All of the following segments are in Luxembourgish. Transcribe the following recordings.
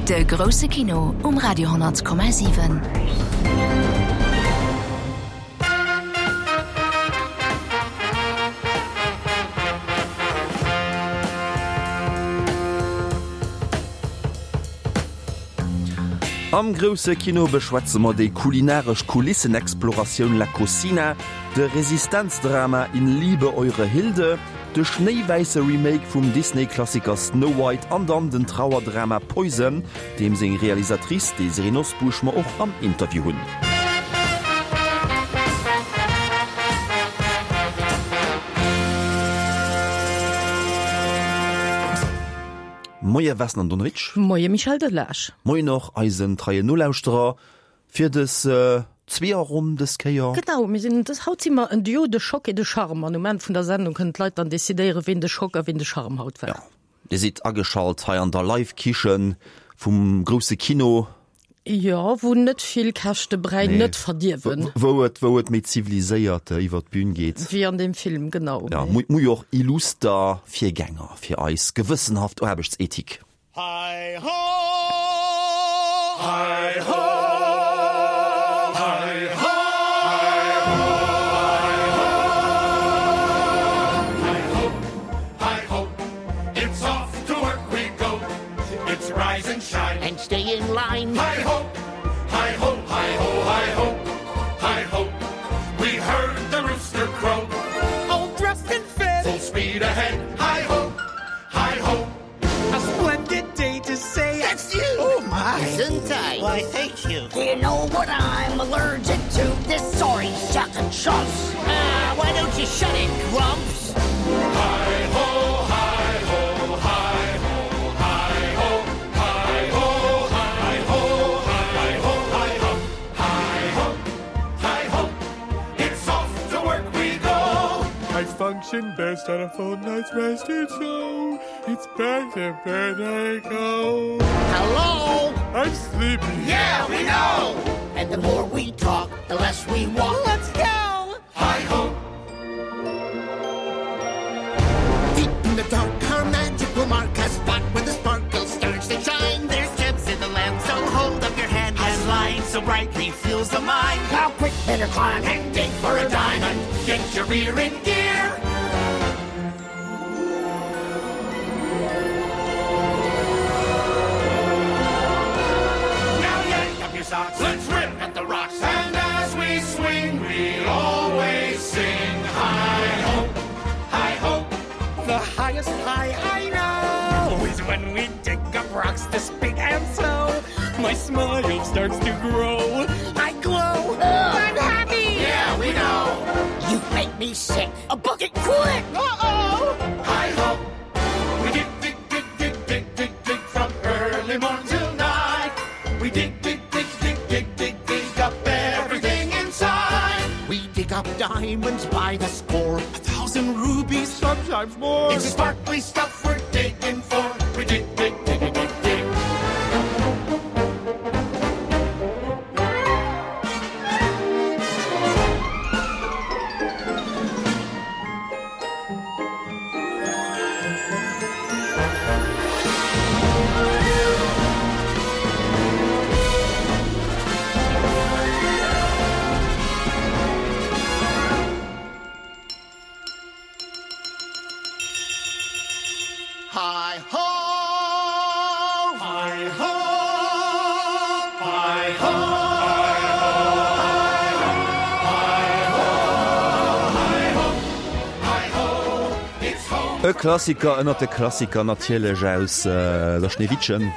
De grousse Kino um Radio 10,7. Am grousse Kino beschwätze mer déi kulinaresch Kulissenexploratioun La Cocina, de Resistenzdrama In Liebe, Eure Hilde, de schnéiwäisse Remake vum Disney-Klassiker Snow White an dann den Trauerdrama Poison, deem seng Realisatrice Désirée Nosbusch mer och am Interview hunn. Moie Vesna Andonovic. Moie Michel Delage. Moien och eisen treien Nolauschterer. Fir dës Zweeërronn dës Kéier. Genau, mir sinn dës, haut si mer en Duo de choc et de charme an um Enn vun der Sendung kënnen d'Leit dann decidéieren, ween de Choc a ween de Charme haut war. Jo, Dir sidd ageschalt hei an der Live-Kichen vum grousse Kino. Jo, wou net vill Käschte Bräi net verdierwen. Wou et, wou et méi ziviliséiert iwwer d'Bün geet. Wéi an deem Film, genau. Jo, mu jo och illuster Virgänger fir eis gewëssenhaft Aarbechtsethik. Hi ho! Hi ho! Hi ho! Hi ho! Hi ho! It's off to work we go. It's rise and shine and stay in line. Hi ho! Hi ho! Hi ho! Hi ho! Hi ho! We heard the rooster crow. All dressed and fed. Full speed ahead. Hi ho! Hi ho! A splendid day to say That's you! Oh my! Gesundheit! Why, thank you. Do you know what I'm allergic to? This sorry sack of chumps. Ah, why don't you shut it, Grumps? Hi ho, hi ho, hi ho, hi ho, hi ho, hi ho, hi ho, hi ho, hi ho, hi ho. It's off to work we go. I function best on a full night's rest, and so it's back to bed I go. Hello? I'm sleepy. Yeah, we know! And the more we talk, the less we walk. Let's go! Hi ho! Deep in the dark, our magic will mark a spot where the sparkle starts to shine. There's gems in the land, so hold up your hand as light so brightly fills the mind. Now quick, better climb and dig for a diamond. Get your rear in gear. Now yank up your socks, let's rip at the rocks. And as we swing, we'll always sing. Hi ho, hi ho. The highest high I know is when we dig up rocks this big and slow. My smile starts to grow. I glow. I'm happy. Yeah, we know. You make me sick. A bucket quick. Uh-oh. Hi ho. We dig, dig, dig, dig, dig, dig, dig from early morn till night. We dig, dig, dig, dig, dig, dig, dig up everything inside. We dig up diamonds by the score. 1,000 rubies, sometimes more. It's the sparkly stuff we're digging for. We dig, dig, dig, dig, dig, dig. Hi ho! Hi ho! Hi ho! E Klassiker ënnert de Klassiker natierlech aus der Schneewittchen.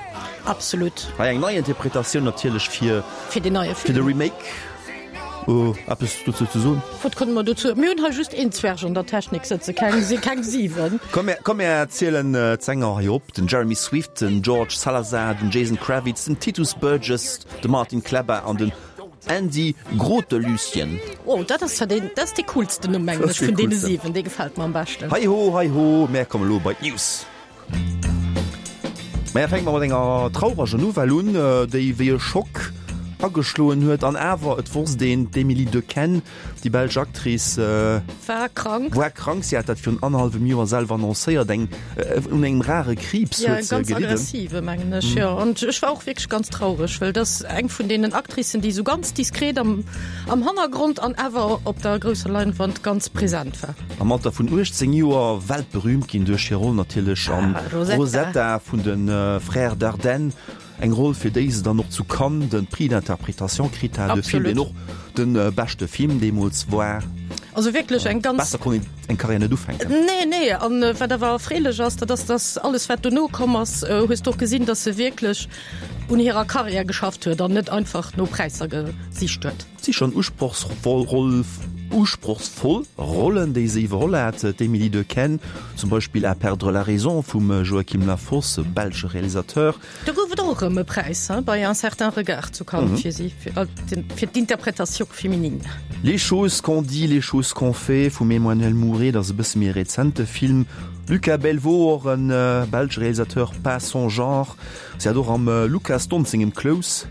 Absolut. Hei eng nei Interpretatioun natierlech fir Fir den neie fir de Film. Remake. Eppes dozou ze soen? Wat kënne mer dozou? Mir hunn hei just een Zwerg an der Technik sëtzen, keng, keng 7. Komm mir, komm mir zielen d'Sänger hei op, den Jeremy Swift, den George Salazar, den Jason Kravitz, den Titus Burgess, de Martin Klebba an den Andy Grotelueschen. Oh, dat ass zwar deen, dat ass dee coolsten Numm, mengen ech, vun deene 7. Dee gefält mer am beschten. Hi ho, hi ho, mär komme lo bei d'News. Maja, fänke mer mat enger traureger Nouvelle un, déi wéi e Schock. Ageschloen huet. An awer, et wosst een, d'Emilie Dequenne, déi belsch Actrice, War krank. War krank. Si hat dat virun annerhallwem Joer selwer annoncéiert. Eng, un engem rare Kriibs Ja, huet se ganz gelidden. aggressive, mengen ech, jo. An ech war och wierklech ganz traureg, well dat ass eng vun deenen Actricen, déi esou ganz diskret am, am Hannergrond an awer op der grousser Leinwand ganz present war. Am Alter vun 18 Joer weltberühmt ginn duerch hir Roll natierlech an Rosetta. Rosetta vun de Frères Dardenne. Eng Roll, fir déi se dann och zu Cannes de Prix d'interprétation kritt hat. E Film, deen och de beschte Film deemools war. Also wierklech eng ganz. Besser konnt een eng Karriär net ufänken. Nee, nee. An wat awer erfreelech ass, dat ass, dass alles, wat dono komm ass, hues de och gesinn, dass se wierklech un hirer Karriär geschafft huet an net einfach no Präisser gesicht huet. Et si schonn usprochsvoll usprochsvoll Rollen, déi se iwwerholl hat, d'Emilie Dequenne zum Beispill À perdre la raison vum Joachim Lafosse, belsche Realisateur. Do gouf et och erëm e Präis bei Un certain regard zu Cannes fir si, fir d'Interprétation féminine. Les choses qu'on dit, les choses qu'on fait vum Emmanuel Mouret, dat ass e bësse méi e rezente Film. Lucas Belvaux, och e belsche Realisateur, Pas son genre. Si hat och am Lukas Dhont sengem Close.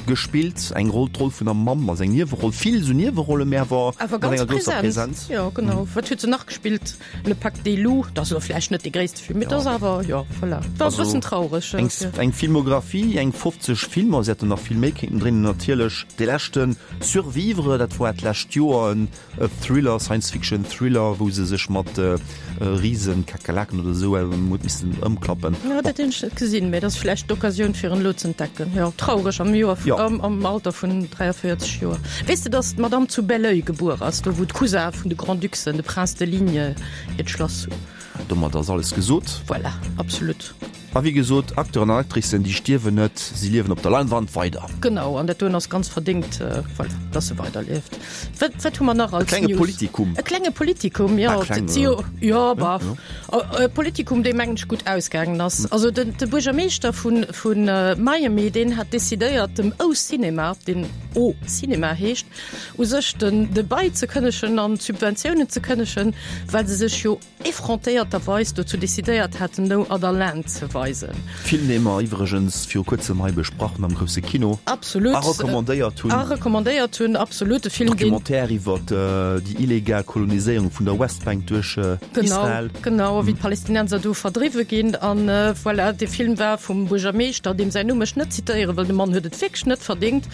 Gespillt, eng Roll, d'Roll vun der Mamm, also eng Nieweroll, vill sou Niewerollen, mä awer Awer mat ganz enger grousser präsent. Präsenz. Jo, genau. Wat huet se nach gespillt? Le Pacte des loups, dat ass elo vläicht net dee gréisste Film, mee dat ass awer, jo, voilà. War e Also bëssen traureg, eng, fir. eng Filmographie, eng 50 Filmer, se hätten nach vill méi kéinten dréinen natierlech. Dee leschten Survivre, dat war d'lescht Joer, en E Thriller, Science Fiction Thriller, wou se sech mat Riesen-Kakerlaken oder esou huet missen ëmklappen. Jo, dat hunn ech net gesinn, mee dat ass vläicht d'Occasioun fir en elo z'entdecken. Jo, traureg am Joer, Jo. am Alter vun 43 Joer. Weess de, datt d'Madame zu Belœil gebuer ass, do wou d'Cousin vun de Grand-Ducsen, de Prince de Ligne, hiert Schlass hunn? Domat ass alles gesot. Voilà, absolut. A wéi gesot, Acteuren an Actricen, déi stierwen net, si liewen op der Leinwand weider. Genau, an dat doen ass ganz verdéngt, voilà, dass se weiderlieft. Wat, wat hu mer nach E als klenge News? Politikum. E klenge Politikum, jo. Ah, kleng, Et si jo, jo, bah, jo. e Politikum, dee mengen ech gutt ausgaangen ass. Also den, de Buergermeeschter vun, vun Miami, deen hat decidéiert, dem O Cinema, deen O Cinema heescht, u sech den, de Bail ze kënnegen an d'Subventiounen ze kënnegen, well se sech jo effrontéierterweis dozou decidéiert haten, No Other Land ze weisen. Film, dee mer iwwregens viru kuerzem hei besprach hunn am grousse Kino. Absolut. A recommandéiert hunn. A recommandéiert hunn, absolut. E Film, deen. Documentaire iwwer déi illegal Koloniséierung vun der Westbank duerch Israel. Genau, genau, wéi d'Palästinenser do verdriwwe ginn. An voilà, dee Film war vum Buergermeeschter, deem säin Numm ech net zitéiere wëll, de Mann huet et wierklech net verdéngt,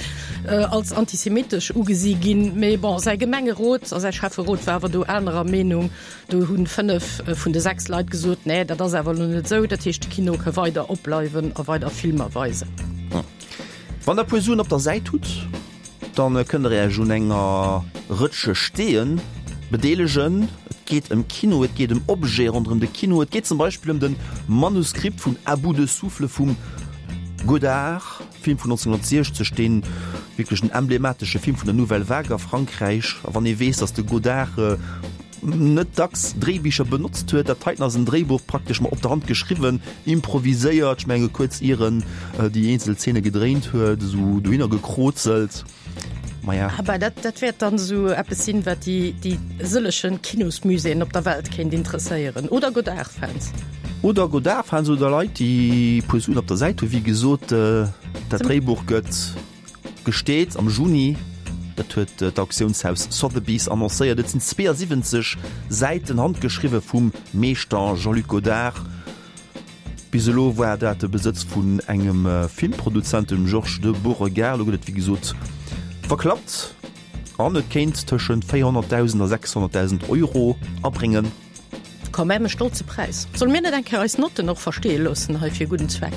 als antisemitesch ugesi ginn. Mee bon, säi Gemengerot a säi Schäfferot war awer do anerer Meenung. Do hunn 5 vun de 6 Leit gesot, nee, dat ass awer elo net esou. Dat heescht, de Kino ka weider opbleiwen a weider Filmer weisen. Wann der e puer Suen op der Säit hutt, dann kënnt der Iech un enger Rëtsche Steeën bedeelegen. Et geet ëm Kino, et geet ëm Objete ronderëm de Kino, et geet zum Beispill ëm de Manuskript vun À bout de souffle vum Godard. Film vun 1960, dee wierklech en emblematesche Film vun der Nouvelle Vague a Frankräich. A wann ee weess, datt de Godard net dacks Dréibicher benotzt huet, dat heiten ass en Dréibuch praktesch ma op der Hand geschriwwen, improviséiert, ech menge kuerz ier en déi eenzel Zeene gedréint huet, esou dohinner gekrozelt. Maja. Ah bah, dat, dat wäert dann esou eppes sinn, wat déi, déi sëllechen Kinosmuséeën op der Welt kéint interesséieren. Oder Godard-Fans. Oder Godard-Fans oder Leit, déi e puer Suen op der Säit hunn. Wéi gesot, dat Dréibuch gëtt gesteet am Juni. Dat huet d'Auktiounshaus Sotheby's annoncéiert. Et sinn 72 Säiten, handgeschriwwe vum Meeschter Jean-Luc Godard. Bis elo war dat de Besëtz vun engem Filmproduzent, dem Georges de Beauregard. Elo gëtt et wéi gesot verklappt an et kéint tëschent 400.000 a 600.000 Euro abréngen. Quand même e stolze Präis. Solle mir net eng Kéier eis Notten och versteeë loossen hei fir e gudden Zweck?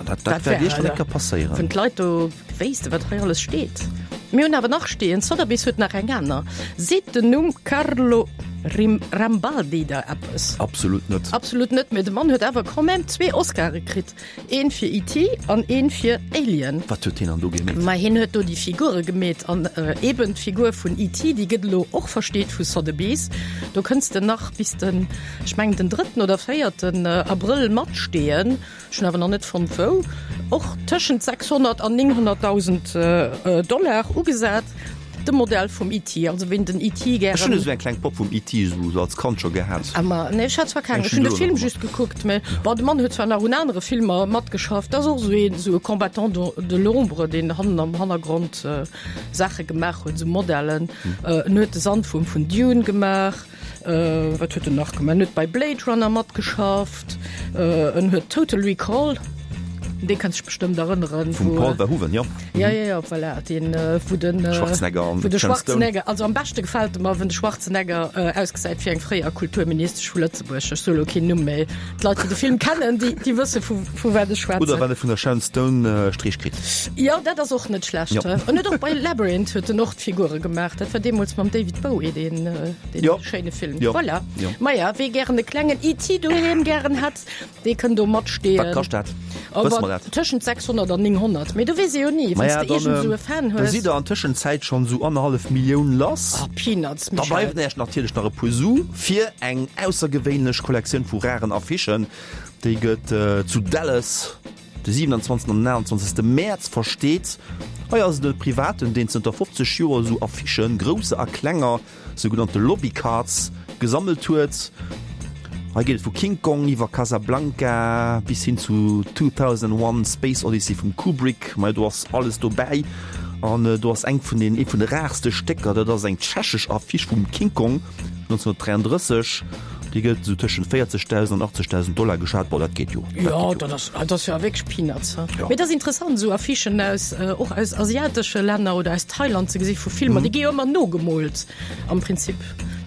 Dat dat wäert iergendwann eng Kéier passéieren. Wann d'Leit do wéissten, wat hei alles steet. Mir hunn awer nach steeën, Sotheby's huet nach eng aner. Seet den Numm Carlo Rambaldi der eppes? Absolut net. Absolut net, mee de Mann huet awer quand même zwee Oscare kritt, een fir ET an een fir Alien. Wat huet hien dann do gemeet? Ma hien huet do déi Figure gemeet an eben d'Figur vun ET, déi gëtt elo och versteet vu Sotheby's. Do kënns de nach bis den, ech mengen den drëtten oder véierten Abrëll matsteeën. Ech hunn awer nach net fonnt wou. Och tëschent 600 an 900.000 Dollar ugesat. De Modell vum E.T. Also ween den E.T. gären. Ech hunn esou eng kleng Popp vum E.T. esou als Kand scho gehat. Ah ma nee, ech hat zwar keng. Ech hunn de Film just gekuckt, mä bon, de Mann huet zwar nach un anere Filmer matgeschafft. Dat ass och esou een, esou e Combattant de l'ombre, deen hannen am Hannergrond Saache gemaach huet, esou Modellen. En huet de Sandwuerm vun Dune gemaach. Wat huet en nach gemaach? En huet bei Blade Runner matgeschafft. En huet Total Recall, un dee kënns dech bestëmmt erënneren. Vum Paul Verhoeven, jo. Ja, ja, ja, voilà, deen, wou den Schwarzenegger an wou de Sharon Stone. Schwarzenegger, also am beschte gefält e mer, wann de Schwarzenegger ausgesäit wéi eng fréier Kulturministesch vu Lëtzebuerg. Ech soe lo keen Numm, mä d'Leit, déi de Film kennen, déi, déi wësse vu, vu wat ech schwätzen. Oder wann e vun der Sharon Stone Streech kritt. Jo, dat ass och net schlecht. Jo. En huet och bei Labyrinth huet en och d'Figure gemaach. Dat war deemools mam David Bowie, deen, deen Jo. schéine Film. Jo. Voilà. Jo. Maja, wee gären e klengen E.T. doheem gären hätt, dee kënn do matsteeën. Wat kascht dat? Wësse mer dat? Tëschent 600 an 900. Mee do weess ee jo ni, wann s Maja, de dann, iergend esou e Fan da hues. sidd der an Tëschenzäit schonn esou annerhallef Millioun lass. Ah, Peanuts, Da Michel. bleiwen Iech natierlech nach e puer Su fir eng aussergewéinlech Kollektioun vu raren Affichen. Déi gëtt zu Dallas De 27 an 29 Mäerz versteet. Hei ass et e Privaten, deen zënter 50 Joer esou Affichen, grousser a klenger, sougenannte Lobby Cards, gesammelt huet. Hei geet et vu King Kong iwwer Casablanca bis hin zu 2001, Space Odyssey vum Kubrick. Majo, do ass alles dobäi. An do ass eng vun den, ee vun de rarste Stécker, dat ass eng tschechesch Affiche vum King Kong 1933. Déi gëtt esou tëschent 40.000 an 80.000 Dollar geschat. Bon, dat geet jo. Dat Jo, geet jo. dat ass, dat ass jo wierklech Peanuts. He? Jo. Mee et ass interessant, esou Affichen aus, och aus asiatesche Länner oder aus Thailand ze gesi vu Filmer. Déi gi jo ëmmer nogemoolt am Prinzip.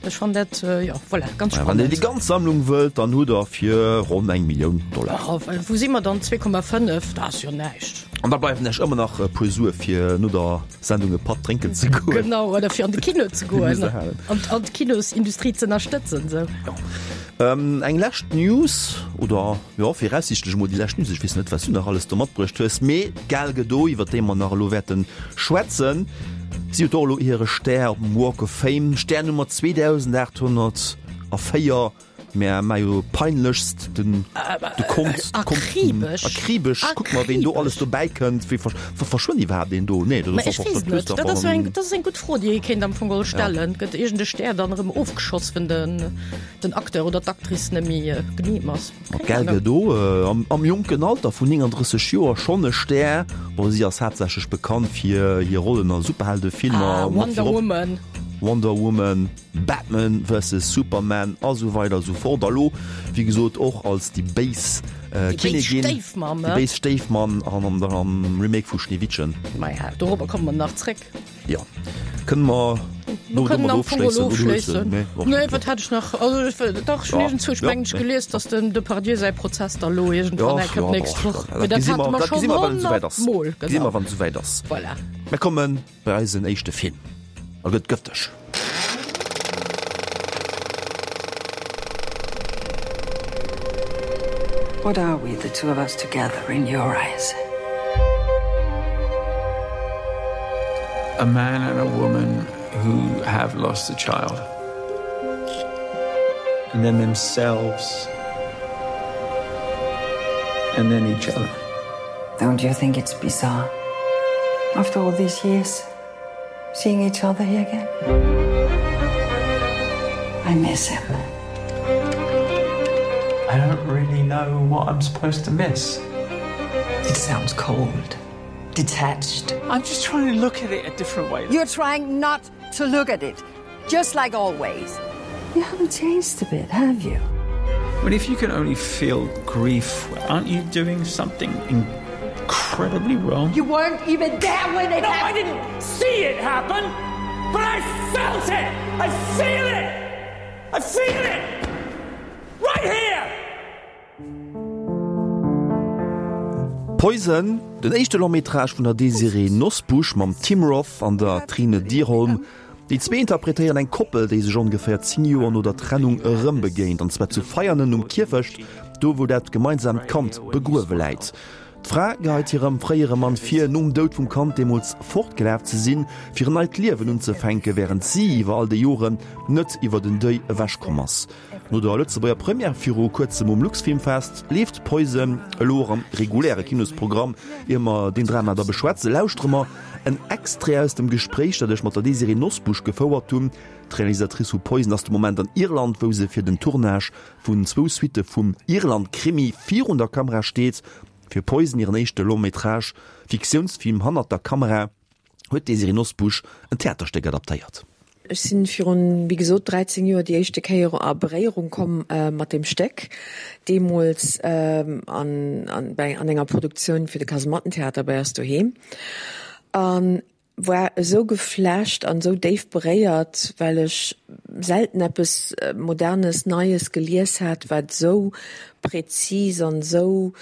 Ech fannen dat, jo, voilà, ganz Wann Dir spannend. déi ganz Sammlung wëllt, dann hutt Der fir ronn eng Millioun Dollar. Oh, wou si mer dann? 2,5, dat ass jo näischt. An da bleiwen Iech ëmmer nach e puer Sue fir no der Sendung e Patt drénken ze goen. Genau, oder fir an de Kino ze goen an an d'Kinosindustrie ze ënnerstëtzen. Sou. Jo. Eng lescht News, oder jo, viraussiichtlech emol déi lescht News, ech weess net, wat s du nach alles do matbruecht hues, mee d'Gal Gadot, iwwer déi mer nach elo wäerte schwätzen, si huet och elo hire Stär op dem Walk of Fame, Stär Nummer 2804. Mä mä jo peinlechst den de Kont Akribesch. Akribesch kuck mal ween do alles dobäi kënnt. Wéi ver verschwënnt iwwerhaapt een do? Nee dat Mä ass ech och weess et net. Dat ass jo eng dat ass eng gutt Fro déi ee kéint am Fong geholl stellen. Gëtt iergend e Stär dann erëm ofgeschoss wenn den den Acteur oder d'Actrice net méi genehm ass? Ma Keng d'Gal Ahnung. Gadot am am jonken Alter vun 39 Joer schonn e Stär. Bon si ass haaptsächlech bekannt fir hir Rollen a Superheldefilmer, Ah mat Wonder virop Woman. Wonder Woman. Batman versus Superman a sou weider a sou fort. A lo, wéi gesot, och als déi béis Kinnigin, déi béis Stéifmamm an am Remake vu Schneewittchen. Maja, dorobber komme mer nach zréck. Jo, kënne mer Mer kënnen domat am Fong elo ofschléissen? ofschléissen. Nee, wat hat ech nach? Also, ech, dach, ech hunn iergendzwousch, mengen ech, gelies, datt den Depardieu säi Prozess da lo iergendwann eng Kéier d'nächst Woch. Mee dat hate mer schonn honnertmol, Gesi mer, genau. wann et esouwäit ass. Voilà. Mir kommen Bei eisen éischte Film a gëtt gëfteg. What are we, the two of us together, in your eyes? A man and a woman who have lost a child. And then themselves. And then each other. Don't you think it's bizarre? After all these years, seeing each other here again. I miss him. I don't really know what I'm supposed to miss. It sounds cold, detached. I'm just trying to look at it a different way. You're trying not to look at it, just like always. You haven't changed a bit, have you? But if you can only feel grief, aren't you doing something incredibly wrong? You weren't even there when it no, happened. I didn't see it happen, but I felt it. I feel it. I feel it right here. Poison, den éischte Long-métrage vun der Désirée Nosbusch mam Tim Roth an der Trine Dyrholm. Déi zwee interpretéieren eng Koppel, déi sech ongeféier 10 Joer no der Trennung erëm begéint, an zwar zu Veianen um Kierfecht, do wou dat gemeinsaamt Kand begruewe läit. D'Fra geheit hirem fréiere Mann vir, nom Doud vum Kand deemools fortgelaf ze sinn, fir en neit Liewen unzefänken, wärend si iwwer all déi Joren net iwwer den Deuil ewechkomm ass. No der Lëtzebuerger Première viru kuerzem um Luxfilmfest leeft Poison elo och am reguläre Kinosprogramm. Ier mer deen Drama da beschwätzen, lauschtere mer. En Extrait aus dem Gespréich, dat ech mat der Désirée Nosbusch gefouert hunn. D'Realisatrice vu Poison ass de Moment an Irland, wou se fir den Tournage vun zwou Suitte vum Irland-Krimi virun der Kamera steet. Fir Poison, hiren éischte Long-métrage Fiktiounsfilm hannert der Kamera, huet d'Désirée Nosbusch en Theaterstéck adaptéiert. Ech sinn virun, wéi gesot, 13 Joer déi éischte Kéier a Beréierung komm mat deem Stéck, deemools an an enger Produktioun fir de Kasemattentheater bei eis doheem, a war esou geflasht an esou déif beréiert, well ech selten eppes Modernes, Neies gelies hat, wat esou präzis an esou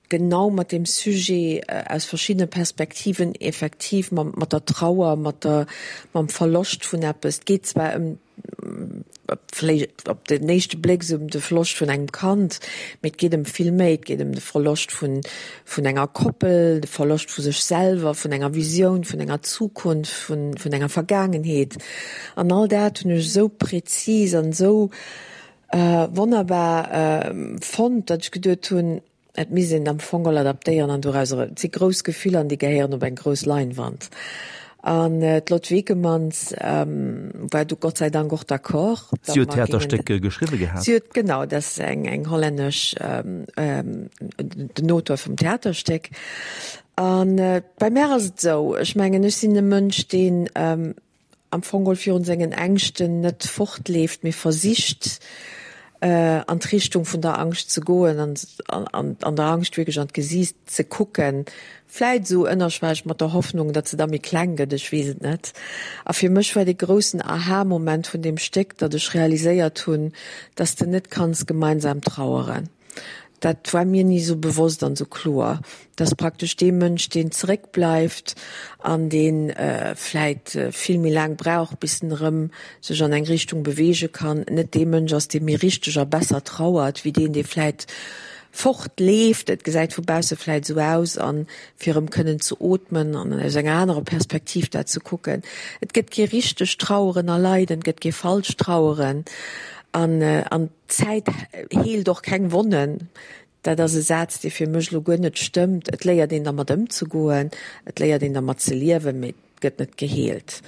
genau mat deem Sujet aus verschiddene Perspektiven effektiv mat der Trauer, mat der, mam Verloscht vun eppes. Et geet zwar ëm, vläicht op den éischte Bléck esou ëm de Verloscht vun engem Kand, mee et geet ëm vill méi. Et geet ëm de Verloscht vun, vun enger Koppel, de Verloscht vu sech selwer, vun enger Visioun, vun enger Zukunft, vun, vun enger Vergaangenheet. An all dat hunn ech esou präzis an esou wonnerbar fonnt, datt ech geduet hunn, Et misst een et am Fong all adaptéieren an dorauser, et si grouss Gefiller an déi gehéieren op eng grouss Leinwand. An d'Lot Vekemans war du Gott sei Dank och d'accord. Si huet d'Theaterstéck geschriwwe gehat. Si huet, genau, dat ass eng eng hollännesch, den Auteur vum Theaterstéck. A bei mär ass et esou, ech mengen, ech sinn e Mënsch, deen, am Fong geholl virun sengen Ängschten net fortleeft, mee versicht an d'Richtung vun der Angscht ze goen an an der Angscht wierklech an d'Gesiicht ze kucken, vläit esou ënnerschwelleg mat der Hoffnung, datt se da méi kleng gëtt, ech weess et net. A fir mech war dee groussen Aha-Moment vun deem Stéck, datt ech realiséiert hunn, datt s de net kanns gemeinsam traueren. Dat war mir ni esou bewosst an esou kloer, dass praktesch dee Mënsch, deen zeréckbleift an dee vläit vill méi laang brauch, bis en erëm sech an eng Richtung beweege kann, net dee Mënsch ass, dee méi richteg a besser trauert, wéi deen, dee vläit fortleeft. Et gesäit vu bausse vläit esou aus, a fir erëm kënnen ze ootmen an aus enger anerer Perspektiv dat ze kucken. Et gëtt kee richtegt Traueren a Leiden, et gëtt kee falscht Traueren an an. D'Zäit heelt och keng Wonnen. Dat ass e Saz, dee fir mech elo guer net stëmmt. Et léiert een dermat ëmzegoen, et léiert een dermat ze liewen, mee et gëtt net geheelt.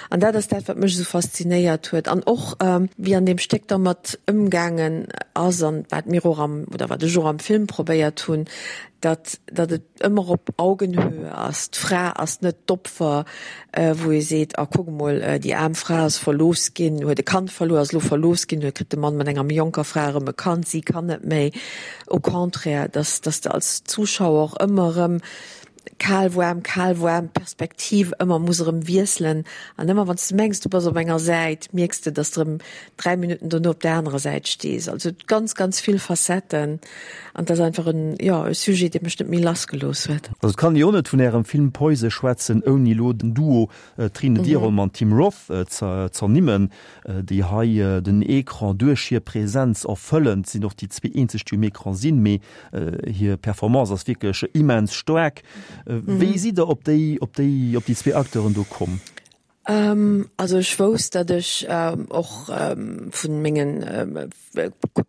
An dat ass dat, wat mech esou faszinéiert huet. An och, wéi an deem Stéck dermat ëmgaangen ass an wat mir och am, oder wat ech och am Film probéiert hunn, datt, datt et ëmmer op Augenhöhe ass. D'Fra ass net d'Opfer, wou ee seet, ah kuck emol, déi aarm Fra ass verlooss ginn, huet e Kand verluer, ass elo verlooss ginn, huet kritt de Mann mat enger méi jonker Fra erëm e Kand, si kann net méi. Au contraire, dass, dass de als Zuschauer och ëmmer erëm kal, waarm, kal, waarm, d'Perspektiv ëmmer muss erëm wiesselen an ëmmer wann s de mengs, du bass op enger Säit, mierks de, dass de erëm 3 Minutten dono op der anerer Säit stees. Also ganz, ganz vill Facetten. An dat ass einfach en, jo, e Sujet, dee mech net méi lassgelooss huet. Also et kann ee jo net vun Ärem Film Poise schwätzen, ouni elo den Duo Trine Dyrholm an Tim Roth ze ernimmen, déi hei den Ecran duerch hir Präsenz erfëllen. Et sinn och déi zwee eenzeg, déi um Ecran sinn, mee hir Performance ass wierklech immens staark. Wéi sidd Der op déi, op déi, op déi zwee Acteuren do komm? Also ech wousst, datt ech och vu mengen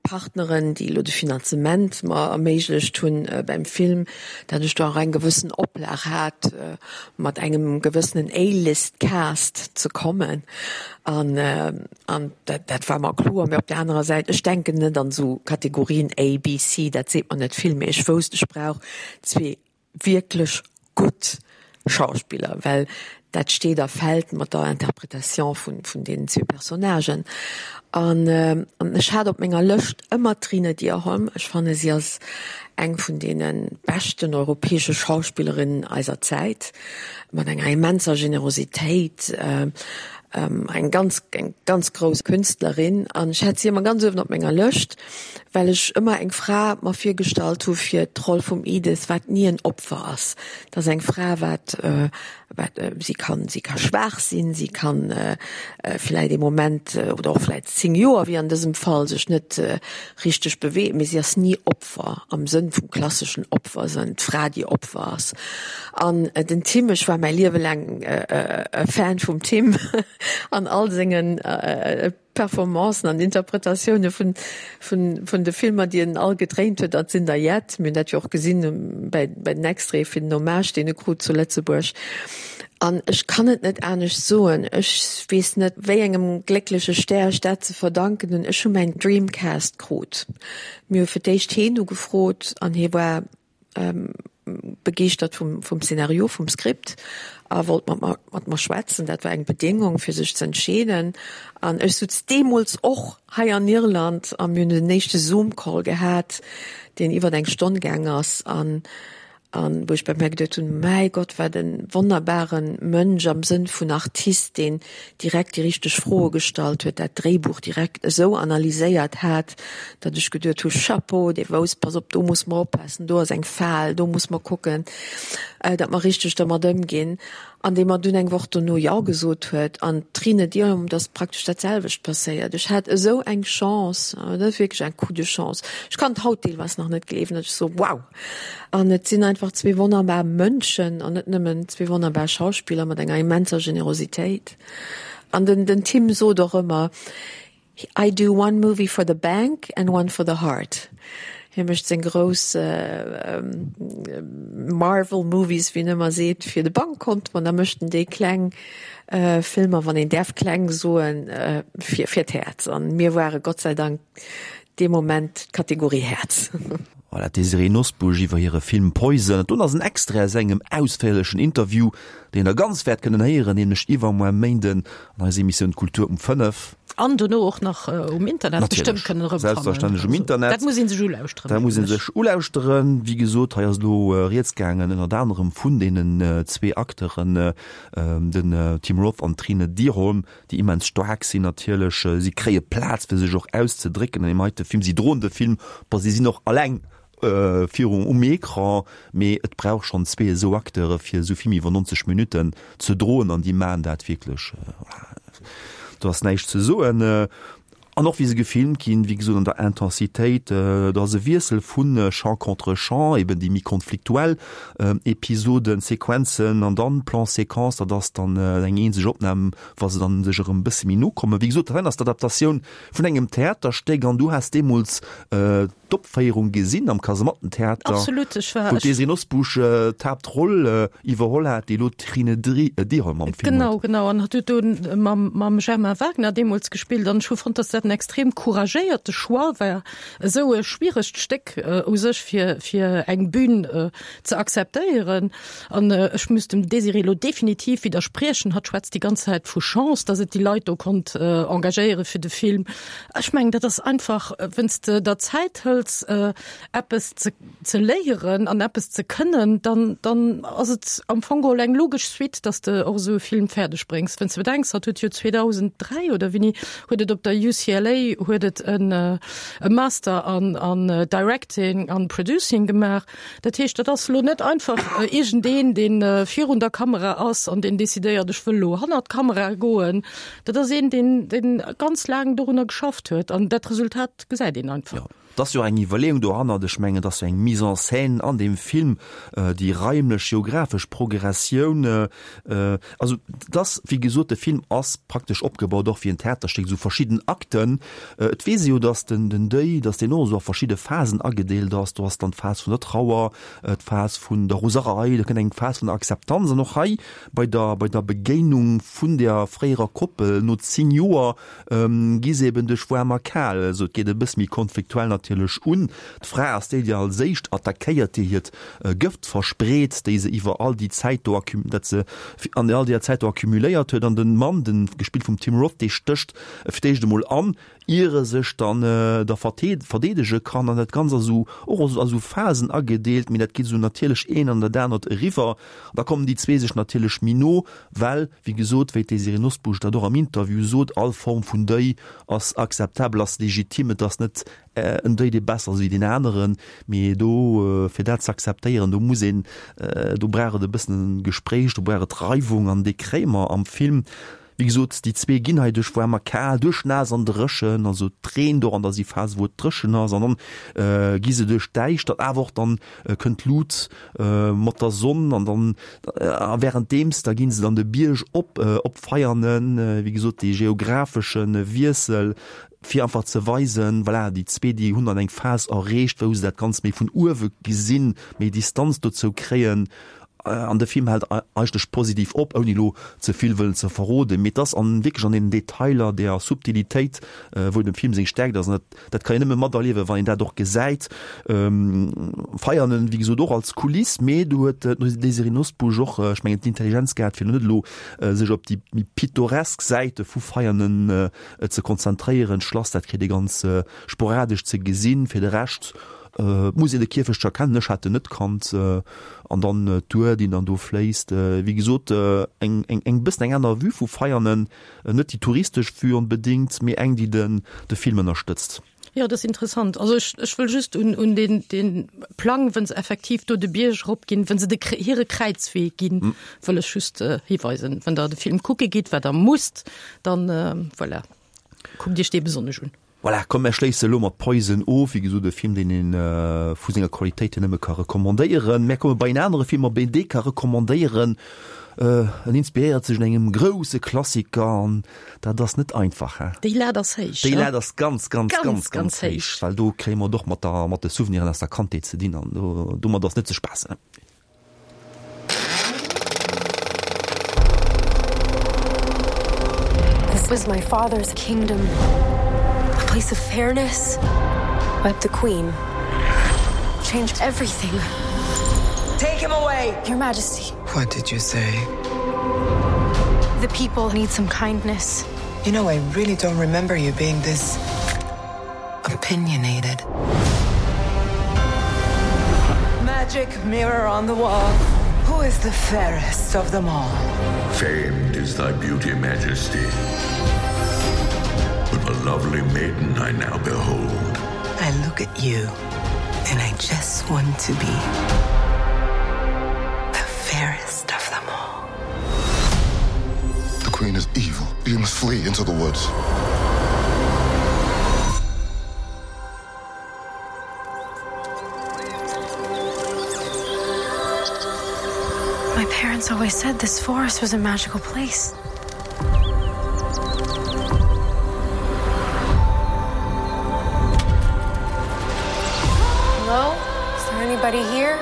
Partneren, déi elo de Finanzement mer erméiglecht hunn beim Film, datt ech do och eng gewëssen Oplag hat, mat engem gewëssenen A-List-Cast ze kommen. An an dat dat war mer kloer. Mee op där anerer Säit, ech denken net an esou Kategorien A, B, C, dat seet mer net vill. Mee ech wousst, ech brauch zwee wierklech gutt Schauspiller, well dat steet a fält mat der Interpretation vun, vun deenen zwee Personnagen. An ech hat op menger Lëscht ëmmer d'Trine Dyrholm. Ech fanne si ass eng vun deene beschten europäesche Schauspillerinnen eiser Zäit, mat enger immenser Generositéit, eng ganz, eng ganz grouss Künstlerin. An ech hat si ëmmer ganz uewen op menger Lëscht. well ech ëmmer eng Fra mer virgestallt hu fir d'Roll vum Edith, wat ni en Opfer ass. Dat ass eng Fra, wat, wat si kann, si ka schwaach sinn, si kann vläit ee Moment oder och vläit 10 Joer, wéi an dësem Fall, sech net richteg beweegen, mee si ass ni Opfer am Sënn vum klasseschen Opfer, sënn d'Fra, déi Opfer ass. An den Tim, ech war mäi Liewe laang e Fan vum Tim an all sengen Performancen an Interpretatioune vun vun de Filmer, déi en all gedréint huet, dat sinn der jett. Mir hunn dat jo och gesinn bei bei den Extraite fir den Hommage, deen e krut zu Lëtzebuerg. An ech kann et net anescht soen, ech weess net, wéi engem gléckleche Stär ech dat ze verdanken hunn, ech hu mäin Dreamcast krut. Mir hu fir d'éischt heen ugefrot an hie war begeeschtert vum, vum Szenario, vum Skript a wollt mat mer, mat mer schwätzen. Dat war eng Bedéngung, fir sech ze entscheeden. An ech sutz deemools och hei an Irland a mir hunn den éischte Zoom-Call gehat, deen iwwer eng Stonn gaang ass. An An wou ech bei mär geduet hunn, Mäi Gott, wat e wonnerbare Mënsch am Sënn vun Artist, deen direkt déi richteg Froe gestallt huet, dat Dréibuch direkt esou analyséiert hat, datt ech geduet hu, Chapeau, dee wousst, pass op, do muss mer oppassen, do ass eng Fal, do muss mer kucken, datt mer richteg dermat ëmginn. An dee mer dunn eng Woch dono Jo gesot huet. An d'Trine Dyrholm, et ass praktesch dat selwecht passéiert. Ech hat esou eng Chance, dat ass wierklech en Coup de chance. Ech kann et haut deelweis nach net gleewen, datt ech soe, Wow! An et sinn einfach zwee wonnerbar Mënschen an net nëmmen zwee wonnerbar Schauspiller mat enger immenser Generositéit. An den, den Tim sot och ëmmer, I do one movie for the bank and one for the heart. Hie mécht seng grouss Marvel Movies, wéi en ëmmer seet, fir de Bankkont, an da mécht en déi kleng Filmer, wann een däerf kleng soen, fir, fir d'Häerz. An mir ware Gott sei Dank dee Moment d'Kategorie Häerz. Voilà, d'Désirée Nosbusch iwwer hire Film Poison. Don ass en Extrait aus engem ausféierlechen Interview, deen der ganz wäert kënnen héieren, nämlech iwwermuer Méinden an eiser Emissioun Kultur um 5. An dono och nach um Internet bestëmmt kënnen erëmfannen. Selbstverständlech um Internet. Dat muss ee sech ulauschteren. Dat muss ee sech ulauschteren. Wéi gesot, hei ass elo rieds gaangen ënnert anerem vun deenen zwee Acteuren, den Tim Roth an d'Trine Dyrholm, déi immens staark sinn natierlech. Si kréie Plaz fir sech och auszedrécken an deem heite Film. Si droen de Film, bon si sinn och alleng viru um Ecran, mee et brauch schonn zwee esou Acteure fir esou Film iwwer 90 Minutten ze droen an déi maachen dat wierklech, do ass näischt ze soen. An och wéi se gefilmt ginn, wéi gesot an der Intensitéit, do ass e Wiessel vu Champ contre Champ, eben déi méi konfliktuell Episoden, Sequenzen an dann Plan-séquence, dat ass dann eng eenzeg Opnam, wa se dann sech erëm e bësse méi no kommen. Wéi gesot, dat ass d'Adaptatioun vun engem Theaterstéck an du has deemools d'Opféierung gesinn am Kasemattentheater, Absolut, ech war, wou d'Désirée Nosbusch d'Haaptroll iwwerholl hat, déi elo d'Trine Dyrholm am Film huet. Genau, genau, an hatt huet do mam, mam Germain Wagner deemools gespillt an ech hu fonnt, datt dat en extrem couragéierte Choix war, esou e schwieregt Stéck u sech fir, fir eng Bühn ze akzeptéieren. An ech muss dem Désirée elo definitiv widderspriechen, hatt schwätzt déi ganz Zäit vu Chance, datt et déi Leit do konnt engagéiere fir de Film. Ech mengen, dat ass einfach, wenn s de der Zäit hëls, eppes ze ze léieren an eppes ze kënnen, dann dann ass et am Fong geholl eng logesch Suite, dass de och esou e Film fäerdeg bréngs. Wenn s de bedenks, hatt huet jo 2003 oder wéini huet et op der UCLA huet et en e Master an an Directing an Producing gemaach. Dat heescht, dat ass elo net einfach iergendeen, dee virun der Kamera ass an deen decidéiert, ech wëll elo hannert d'Kamera goen. Dat ass een, deen, deen ganz laang dorunner geschafft huet an dat Resultat gesäit een einfach. Jo, et ass jo och eng Iwwerleeung dohannert. Ech mengen, et ass jo eng Mise en scène an deem Film, déi raimlech, geographesch Progressioun. Also et ass, wéi gesot, de Film ass praktesch opgebaut och wéi en Theaterstéck, esou verschidden Akten. Et weess ee jo, datt den, den Deuil, datt deen och esou a verschidde Phasen agedeelt ass. Do ass dann d'Phas vun der Trauer, d'Phas vun der Roserei, da kënnt eng Phas vun der Akzeptanz an och hei Bei der bei der Begéinung vun der fréierer Koppel no 10 Joer gi se eben duerch waarm a kal. Also et geet e bësse méi konfliktuell natierlech un. D'Fra ass déi, déi als éischt attackéiert, déi hiert Gëft verspreet, déi se iwwer all déi Zäit do accu dat se an all deeër Zäit do accumuléiert huet. An de Mann, de gespillt vum Tim Roth, dee stécht fir d'éischt emol an, ier e sech dann da verdeedege kann. An dat Ganzt ass esou och a sou Phasen agedeelt, mee dat geet esou natierlech een an dat anert eriwwer. An da kommen déi zwee sech natierlech méi no, well, wéi gesot, wéi d'Désirée Nosbusch dat och am Interview sot, all Form vun Deuil ass akzeptabel, ass legitim. Et ass net en Deuil, dee besser ass wéi deen aneren, mee do, fir dat ze akzeptéieren, do muss een, do brauch et e bëssen Gespréich, do brauch et Reiwung an déi kréie mer am Film. Wéi gesot, déi zwee ginn hei duerch waarm a kal, duerch naass an dréchen, also et reent och an da si Phase wou et dréchen ass an dann gi se duerch d'Däischtert, awer och dann kënnt d'Lut mat der Sonn an dann a wärenddeems da gi se dann de Bierg op op Veianen, wéi gesot dee geografesche Wiessel fir einfach ze weisen, voilà, déi zwee déi hunn dann eng Phas erreecht wou se dat Ganzt méi vun uewe gesinn, méi Distanz dozou kréien. An de Film hält eigentlech positiv op, ouni elo ze vill wëllen ze verroden, mee et ass an wierklech an den Detailer, der Subtilitéit, wou dem Film seng Stärkt ass. An dat, dat kann een nëmme materliewen, wann een dat och gesäit. Veianen, wéi gesot, och als Kuliss, mee do huet d'Désirée Nosbusch och, ech mengen, d'Intelligenz gehat, fir elo net elo sech op déi méi pittoresk Säite vu Veianen ze konzentréieren. D'Schlass, dat kritt ee ganz sporadesch ze gesinn. Fir de Rescht muss een de Kierfecht scho kennen, ech hat en net kannt. An dann d'Our, déi dann do fléisst. Wéi gesot, eng eng bëssen eng aner Vue vu Veianen, net déi touristesch Vue onbedéngt, mee eng, déi den de Film ënnerstëtzt. Jo, dat ass interessant. Also ech ech wëll just un un deen deen Plang, wënn se effektiv do de Bierg erop ginn, wënn se de hire Kräizwee ginn, wëll ech just hiweisen. Wann Der de Film kucke gitt, wat Der musst, dann voilà, kuckt Iech dee besonnesch un. Voilà, komm mär schléisse elo mat Poison of. Wéi gesot, e Film, deen ee vu senger Qualitéit hier nëmme ka recommandéieren. Mär komme bei en anere Film, op een dee ka recommandéieren. En inspiréiert sech un engem grousse Klassiker an dat ass net einfach, hein? Déi Lat ass héich, Déi Lat ass ganz, ganz, ganz, ganz héich, well do kréie mer et och mat der, mat de Souveniren aus der Kandheet ze dinn an domat ass net ze spaassen. This was my father's kingdom, a place of fairness, but the queen changed everything. Take him away, Your Majesty. What did you say? The people need some kindness. You know, I really don't remember you being this opinionated. Magic mirror on the wall. Who is the fairest of them all? Famed is thy beauty, Majesty. But the lovely maiden I now behold. I look at you and I just want to be the fairest of them all. The queen is evil. You must flee into the woods. My parents always said this forest was a magical place. Hello? Is there anybody here?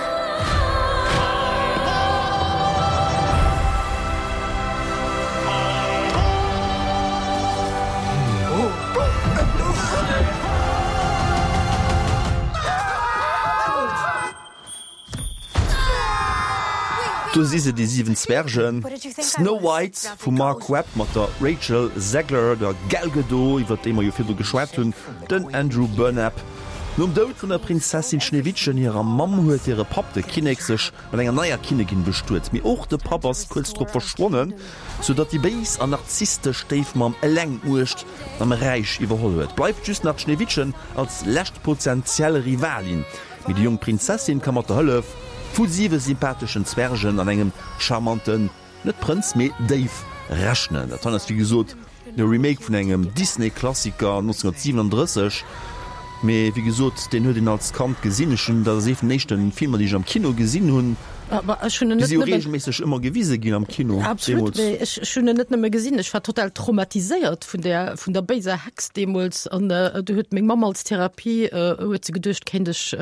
Do si se, déi 7 Zwergen, Snow White vum Marc Webb mat der Rachel Zegler, der Gal Gadot, iwwer déi mer jo virdru geschwat hunn, den Andrew Burnap. Nom Doud vun der Prinzessin Schneewittchen hirer Mamm huet hire Papp, de Kinnek, sech mat enger neier Kinnegin bestuet. Mee och de Papp ass kuerz drop verschwonnen, sou datt déi béis an narzisstesch Stéifmamm eleng d'Muecht am Räich iwwerholl huet. Bleift just nach d'Schneewittchen als lescht potentiell Rivalin. Mee déi jonk Prinzessin ka mat der Hëllef vu siwe sympatheschen Zwergen an engem charmanten, net Prënz, mee Déif rechnen. Dat hei ass wéi gesot e Remake vun engem Disney-Klassiker 1937, mee wéi gesot, deen huet een als Kand gesinn. Ech hunn, dat ass ee vun den éischte Filmer, déi ech am Kino gesinn hunn. Ech hunn en Déi net si jo nëmmen. reegelméisseg ëmmer gewise ginn am Kino Absolut, deemools. mee ech, ech hunn en net nëmme gesinn, ech war total traumatiséiert vun där, vun der béiser Hex deemools. An du huet meng Mamm als Therapie, huet se geduecht, kéint ech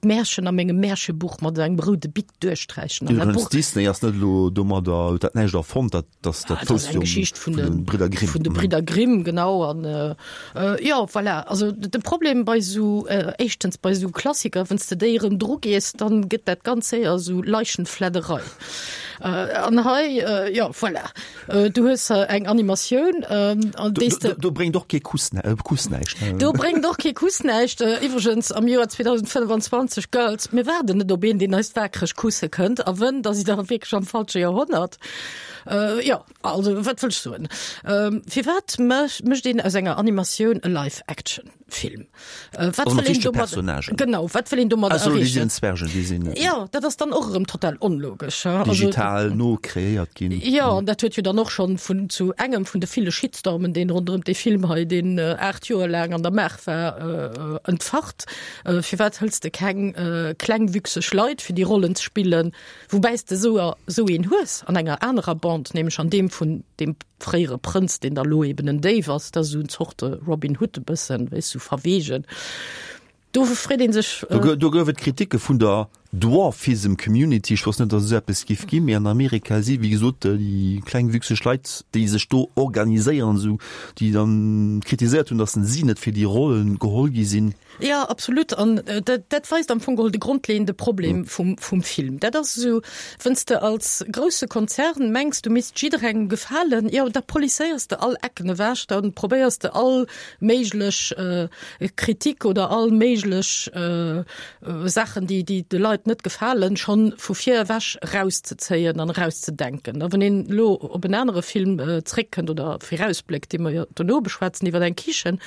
d'Märchen a mengem Märchebuch mat engem roude Bic duerchsträichen. An dat Iwwregens, Buch. Disney ass net elo domadder, huet dat näischt erfonnt, dat ass dat Ah, dat ass wousst eng jo Geschicht vun vun de de, Bridder Grimm. vun de Bridder Grimm, genau. An jo, voilà. Also de Problem bei esou, éischtens bei esou Klassiker, wann s de déi erëm drugees, dann gëtt dat ganz séier esou Leichenfledderei. An hei, jo, voilà. Du hues eng Animatioun, an déi s de. Do bréngt och kee Kuss, Kuss näischt. Do bréngt och kee Kuss näischt. Iwwregens, am Joer 2025, Girls, mir waarden net op een, deen eis waakreg kusse kënnt. A wënn, da sidd Der wierklech am falsche Joerhonnert. Jo. Also, wat wëll ech soen? Firwat mécht een aus enger Animatioun e Live-Action-Film? Wat wëll een domat, genau, wat wëll een domat erreechen? Zwergen, déi sinn. Jo, dat ass dann och erëm total onlogesch. Digital nokreéiert ginn. Jo, an dat huet jo dann och schonn vun zu engem vun de ville Shitstormen, deen ronderëm dee Film hei, deen 8 Joer laang an der Maach war, entfacht. Firwat hëls de keng klengwüchseg Leit, fir déi Rollen ze spillen? Woubäi s de esou esou een hues an enger anerer Bande, nämlech an deem vun deem fréiere Prënz, deen da lo eben en Déif ass, dat ass esou en Zorte Robin Hood e bëssen, weess, sou verweegen. Do freet ee sech. Do gouf et Kritike vun der. Dwarfism Community, ech wosst net, datt et esou eppes giff ginn, mee an Amerika si wéi gesot déi klengwüchseg Leit, déi sech do organiséieren, esou, déi dann kritiséiert hunn, datt si net fir déi Rollen geholl gi sinn. Jo, absolut. An dat, dat weist am Fong geholl de grondleeënde Problem vum, vum Film. Dat ass esou, wenn's de als grousse Konzern mengs, du misst jidderengem gefalen, jo, da policéiers de all Ecken ewech, da probéiers de all méiglech Kritik oder all méiglech Saachen, déi, déi de Leit net gefalen, schonn vu vir ewech erauszezéien an erauszedenken. A wann een elo op en anere Film zréckkënnt oder virausbléckt, dee mer jo dono beschwätzen, iwwer eng Kichen,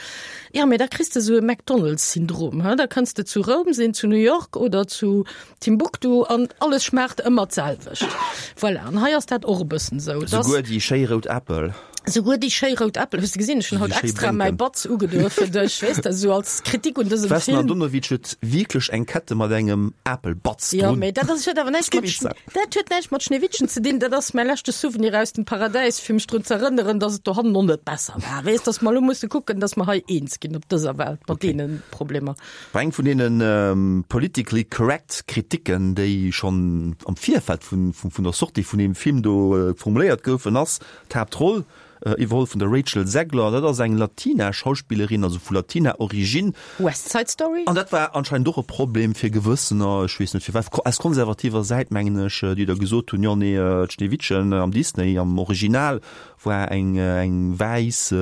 jo, mee da kriss de esou e McDonald's-Syndrom, he, da kënns de zu Roum sinn, zu New York oder zu Timbuktu an alles schmaacht ëmmer d'selwecht. Voilà, an hei ass dat och e bëssen esou, dass. Souguer déi schéi rout Äppel. Souguer déi schéi rout Äppel, hues de gesinn, ech hunn haut extra mäi Batz ugedoe fir dech, weess de, esou als Kritik un dësem Film. D'Vesna Andonovic huet wierklech eng Kette mat engem Apelbatz drun. Jo, mee dat ass, huet awer näischt mat, dat huet näischt mat Schneewittchen ze dinn, dat ass mäi leschte Souvenir aus dem Paradäis, fir mech drun ze erënneren, dass et dohannen och net besser war, weess, dass mer elo musse kucken, dass mer hei eens ginn op dëser Welt mat deene Problemer. War eng vun deene politically correct Kriticken, déi schonn am Virfeld vun der Sortie vun deem Film do formuléiert goufen, ass, D'Haaptroll iwwerholl vun der Rachel Zegler, dat ass eng Latina-Schauspillerin, also vu Latina-Origine. West Side Story? An dat war anscheinend och e Problem fir gewëssener, ech weess net firwat, aus konservativer Säit mengen ech, déi da gesot hunn, jo nee, d'Schneewittchen am Disney, am Original war eng eng wäiss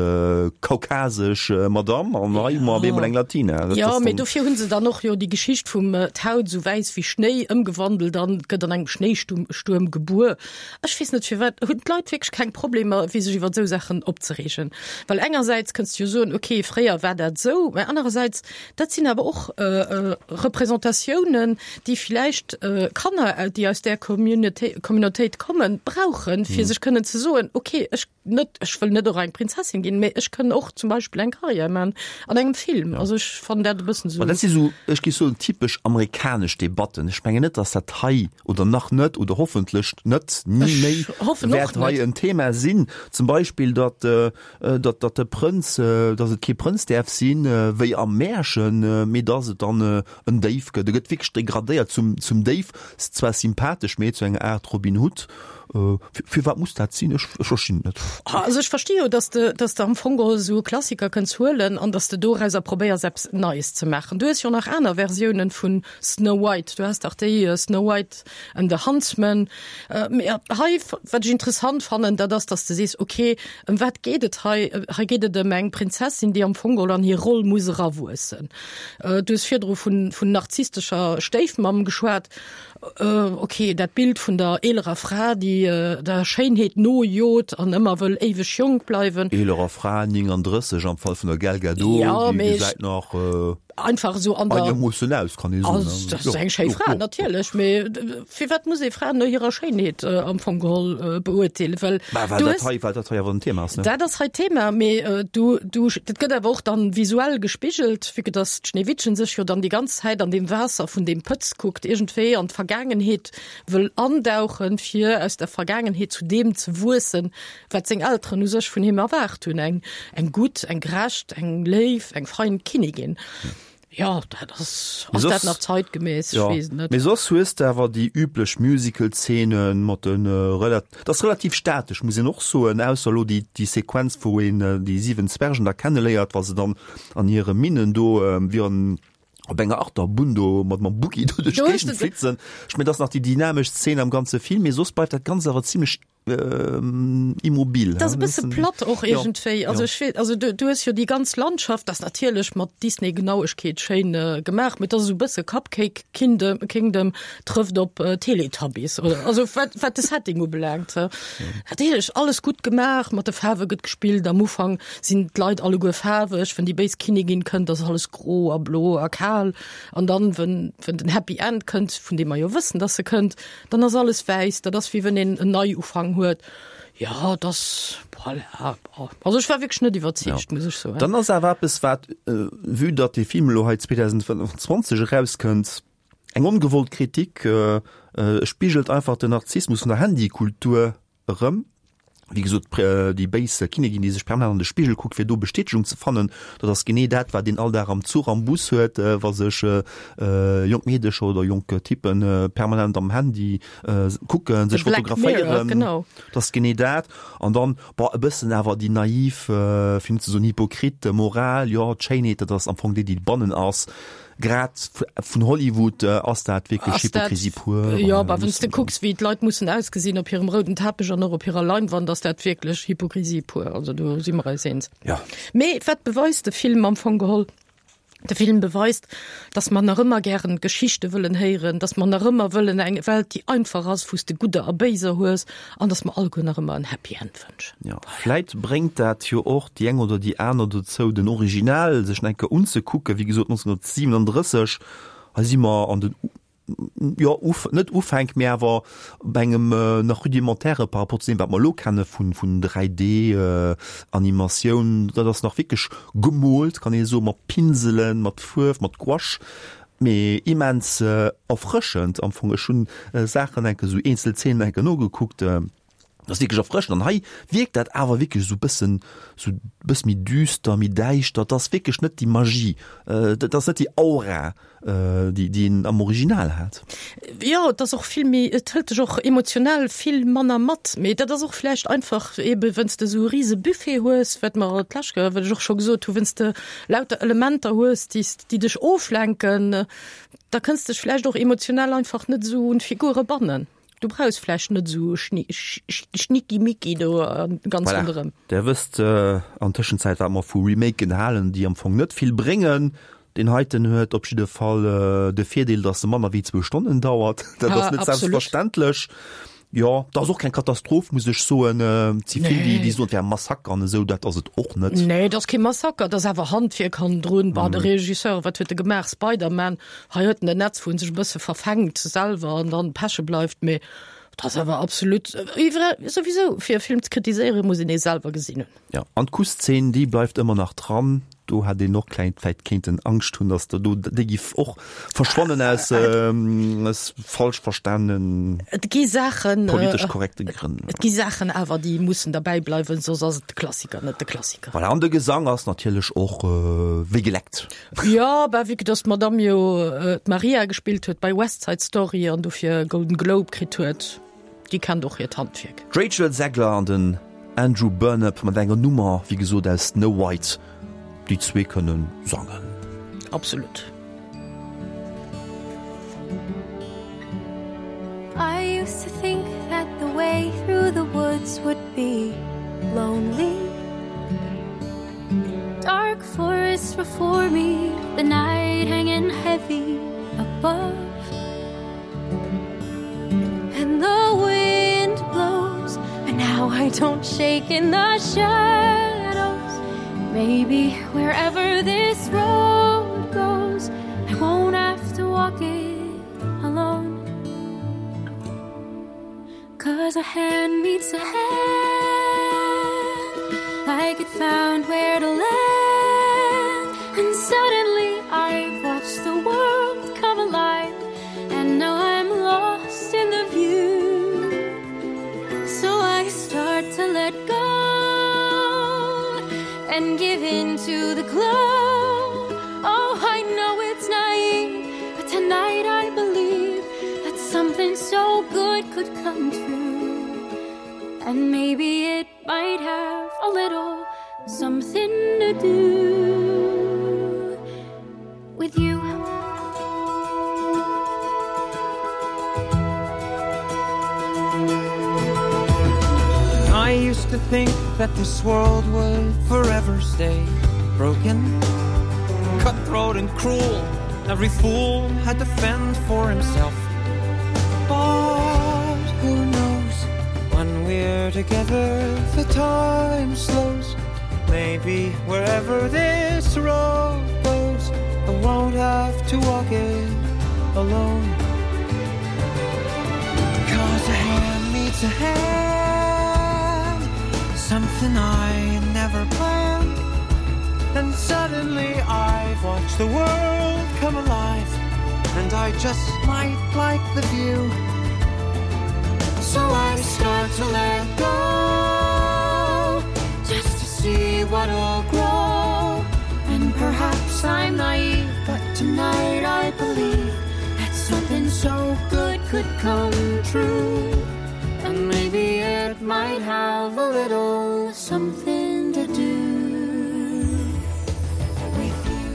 kaukasesch Madamm an hei hu mer op eemol eng Latina. Dat Jo, mee dofir hu se dann och jo déi Geschicht vum d'Haut esou wäiss wéi Schnéi ëmgewandelt an gëtt an engem Schnéistuerm gebuer. Ech weess net firwat hunn d'Leit wierklech keng Problemer fir sech iwwer esou Saachen opzereegen. Well engersäits kënns du jo soen, okay fréier war dat esou, mä anerersäits dat sinn awer och Representatiounen, déi villäicht Kanner, déi aus där Communautéit kommen, brauchen, fir sech kënnen ze soen, okay ech net, ech wëll net och eng Prinzessin ginn, mä ech kënn och zum Beispill eng Karriär man an engem Film. Also ech fannen dat e bëssen esou. Ma dat si sou, ech géif soen, typesch amerikanesch Debatten. Ech mengen net, datt dat hei oder nach net oder hoffentlech net ni méi wäert hei en Thema sinn. Zum Beispill, datt, datt, datt de Prënz, datt et kee Prënz däerf sinn, wéi am Märchen, mee datt et dann en Déif gëtt. E gëtt wierklech degradéiert zum, zum Déif, zwar sympathesch, mee zu enger Aart Robin Hood. Firwat muss dat sinn? Ech verstinn et net. Also ech versti jo, dass de, dass de am Fong geholl esou e Klassiker kënns huelen an dass de dorauser probéiers eppes Neies ze maachen. Du hues jo nach aner Versiounen vun Snow White. Du has dach déi Snow White and the Huntsman. Mee hei, wat ech interessant fannen, dat ass, dass de sees, okay, ëm wat geet et hei? Hei geet et ëm eng Prinzessin, déi am Fong geholl an hir Roll muss erawuessen. Du hues virdru vun, vun narzisstescher Stéifmamm geschwat. Ok, dat Bild vun der eelerer Fra, déi der Schéinheet nojot an ëmmer wëll éiweg jonk bleiwen. Eelerer Fra, 39 am Fall vun der Gal Gadot, déi gesäit nach einfach esou an der einermoossen aus, kann ee soen. Dat ass eng schéi Fra, natierlech, mee firwat muss ee Fraen no hirer Schéinheet am Fong geholl beurteelen? Well Bah, well dat hei, well dat hei awer en Thema ass, ne? Dat ass hei Thema, mee du, du, dat gëtt awer och dann visuell gespigelt, vue que dass d'Schneewittchen sech jo dann déi ganz Zäit an deem Waasser vun deem Pëtz kuckt, iergendwéi an d'Vergaangenheet wëll andauchen, fir aus der Vergaangenheet zu deem ze wuessen, wat seng Elteren u sech vun him erwaart hunn, eng, eng gutt, eng gerecht, eng léif, eng fein Kinnigin. Jo, dat ass, ass dat nach zeitgemäss? Ech weess et net. Mee soss hues de awer déi üblech Musical-Zeenen mat de relat, dat ass relativ statesch, muss een och soen, ausser elo déi, déi Sequenz, wou een déi 7 Zwergen da kenneléiert, wa se dann an hire Minnen do wéi an op enger Achterbunn do mat mam Buggy do duerch d'Géigend flitzen. Ech mengen, dat ass nach déi dynamesch Zeen am ganze Film, mee soss bleift dat Ganzt awer zimlech immobil. Dat ass e bësse platt och iergendwéi. Also ech weess, also du, du hues jo déi ganz Landschaft, dat ass natierlech mat Disney-Genauegkeet schéin gemaach, mee dat ass esou e bësse Cupcake Kingdom, Kingdom trëfft op Teletubbies, oder? Also wat, wat de Setting ubelaangt. Natierlech alles gutt gemaach, mat de Faarwe gëtt gespillt, am Ufank sinn d'Leit alleguer faarweg, wenn déi béis Kinnigin kënnt, ass alles gro a blo a kal an dann, wenn, wenn den Happy End kënnt, vun deem mer jo wëssen, dass e kënnt, dann ass alles wäiss, dat ass wéi wenn een en Neiufank huet. Jo, dat ass, voilà, bon. Also ech war wierklech net iwwerzeegt, muss ech soen. Dann ass awer eppes, wat, vue datt dee Film elo hei 2025 erauskënnt, eng ongewollt Kritik, e spigelt einfach den Narzissmus vun der Handykultur erëm. Wéi gesot, déi béis Kinnigin, déi sech permanent an de Spigel kuckt, fir do Bestätegung ze fannen, dat ass genee dat, wat een all Dag am Zuch, am Bus huet, wa sech jonk Meedecher oder jonk Typpe permanent am Handy kucken, sech fotograféieren. Dat ass genee dat. An dann, bon, e bëssen awer déi naiv, fir net ze soen hypocrite Moral, jo, d'Schéinheet, dat ass am Fong déi, déi bannen ass. Grad vun Hollywood ass dat wierklech Hypokrisie pur. Jo, bah, wann s de kucks, wéi d'Leit mussen ausgesinn op hirem rouden Teppech an och op hirer Leinwand, ass dat wierklech Hypokrisie pur. Also do si mer eis eens. Jo. Mee wat beweist de Film am Fong geholl? De Film beweist, dass mer nach ëmmer gären Geschichte wëllen héieren, dass mer nach ëmmer wëllen eng Welt, déi einfach ass, wou s de Gudder a Béiser hues, an dass mer alleguer nach ëmmer en Happy End wënschen. Jo, vläit bréngt dat jo och déi eng oder déi aner dozou, den Original sech nach eng Kéier unzekucken. Wéi gesot, 1937, hei si mer an den, jo, Uf, net Ufänk, mee awer bei engem nach rudimentäre par rapport zu deem, wat mer elo kenne vun, vun 3D-Animatioun. Dat ass nach wierklech gemoolt, kann ee soen, mat Pinselen, mat Fuerf, mat Gouache, mee immens erfrëschend am Fong. Ech hunn Saachen enke, esou eenzel Zeenen enke nogekuckt. Dat ass wierklech erfrëschend an hei wierkt dat awer wierklech esou bëssen, esou bësse méi düster, méi däischter. Dat ass wierklech net déi Magie, dat ass net déi Aura, déi déi een am Original hat. Jo, et ass och vill méi, et hëlt dech och emotional vill manner mat. Mee dat ass och vläicht einfach eebe wenn's de esou e rise Buffet hues, wat mer d'lescht Kéier, wat ech och scho gesot hu, wenn's de lauter Elementer hues, déi s, déi dech oflenken, da kënns dech vläicht och emotional einfach net esou un d'Figure bannen. Du brauchs vläicht net esou Schnickimicki do ganz voilà. ronderëm. Der wësst äh, an Tëschenzäit, wat mer vu Remaken halen, déi am Fong net vill bréngen. Den heiten huet op jidde Fall äh, de Virdeel, dass e manner wéi zwou Stonnen dauert. Dat ass net selbstverständlech. Jo, dat ass och keng Katastroph, muss ech soen. Äh, si vill, déi, déi soen, et wär e Massaker an esou, dat ass et och net. Nee, dat ass kee Massaker, dat ass awer Handwierk hannendrun. Bah, de Regisseur, wat huet e gemaach? Spider-Man. Hei huet en en Netz, wou en sech e bësse verfänkt selwer an dann peche bleift, mee dat ass awer absolut iwwer souwisou fir e Film ze kritiséieren, muss een ee selwer gesinn hunn. Jo, an d'Kussszeen, déi bleift ëmmer nach dran. Do hätt een och kleng vläit kéinten Angscht hunn, datt der do déi giff och verschwannen aus aus falsch verstanen Et gi Saachen, politesch korrekte Grënn. Et gi Saachen awer, déi mussen derbäi bleiwen, soss ass et de Klassiker net de Klassiker. Voilà, an de Gesang ass natierlech och wéi geleckt. Jo, bah vue que dass d'Madame jo d'Maria gespillt huet bei West Side Story an dofir e Golden Globe kritt huet, déi kennt och hiert Handwierk. D'Rachel Zegler an den Andrew Burnap mat enger Nummer, wéi gesot aus Snow White. Déi zwee kënne sangen. Absolut. I used to think that the way through the woods would be lonely. Dark forest before me, the night hanging heavy above. And the wind blows, and now I don't shake in the shadows. Maybe wherever this road goes, I won't have to walk it alone. Cause a hand meets a hand Like it found where to land And suddenly I've watched the world come alive And now I'm lost in the view So I start to let go And give in to the glow Oh, I know it's naive But tonight I believe That something so good could come true And maybe it might have a little something to do with you. I used to think that this world would forever stay broken, cutthroat and cruel. Every fool had to fend for himself. But who knows when we're together the time slows Maybe wherever this road goes I won't have to walk it alone Cause a hand meets a hand Something I never planned And suddenly I've watched the world come alive And I just might like the view So I start to let go. could come true. And maybe it might have a little something to do with you.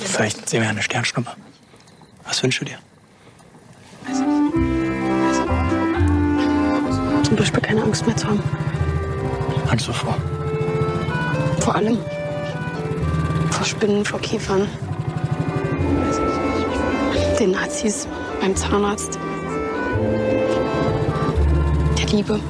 Vielleicht sehen wir eine Sternschnuppe. Was wünschst du dir? Zum Beispiel keine Angst mehr zu haben. Angst vor? Vor allem. Vor Spinnen, vor Käfern. Den Nazis beim Zahnarzt. Der Liebe.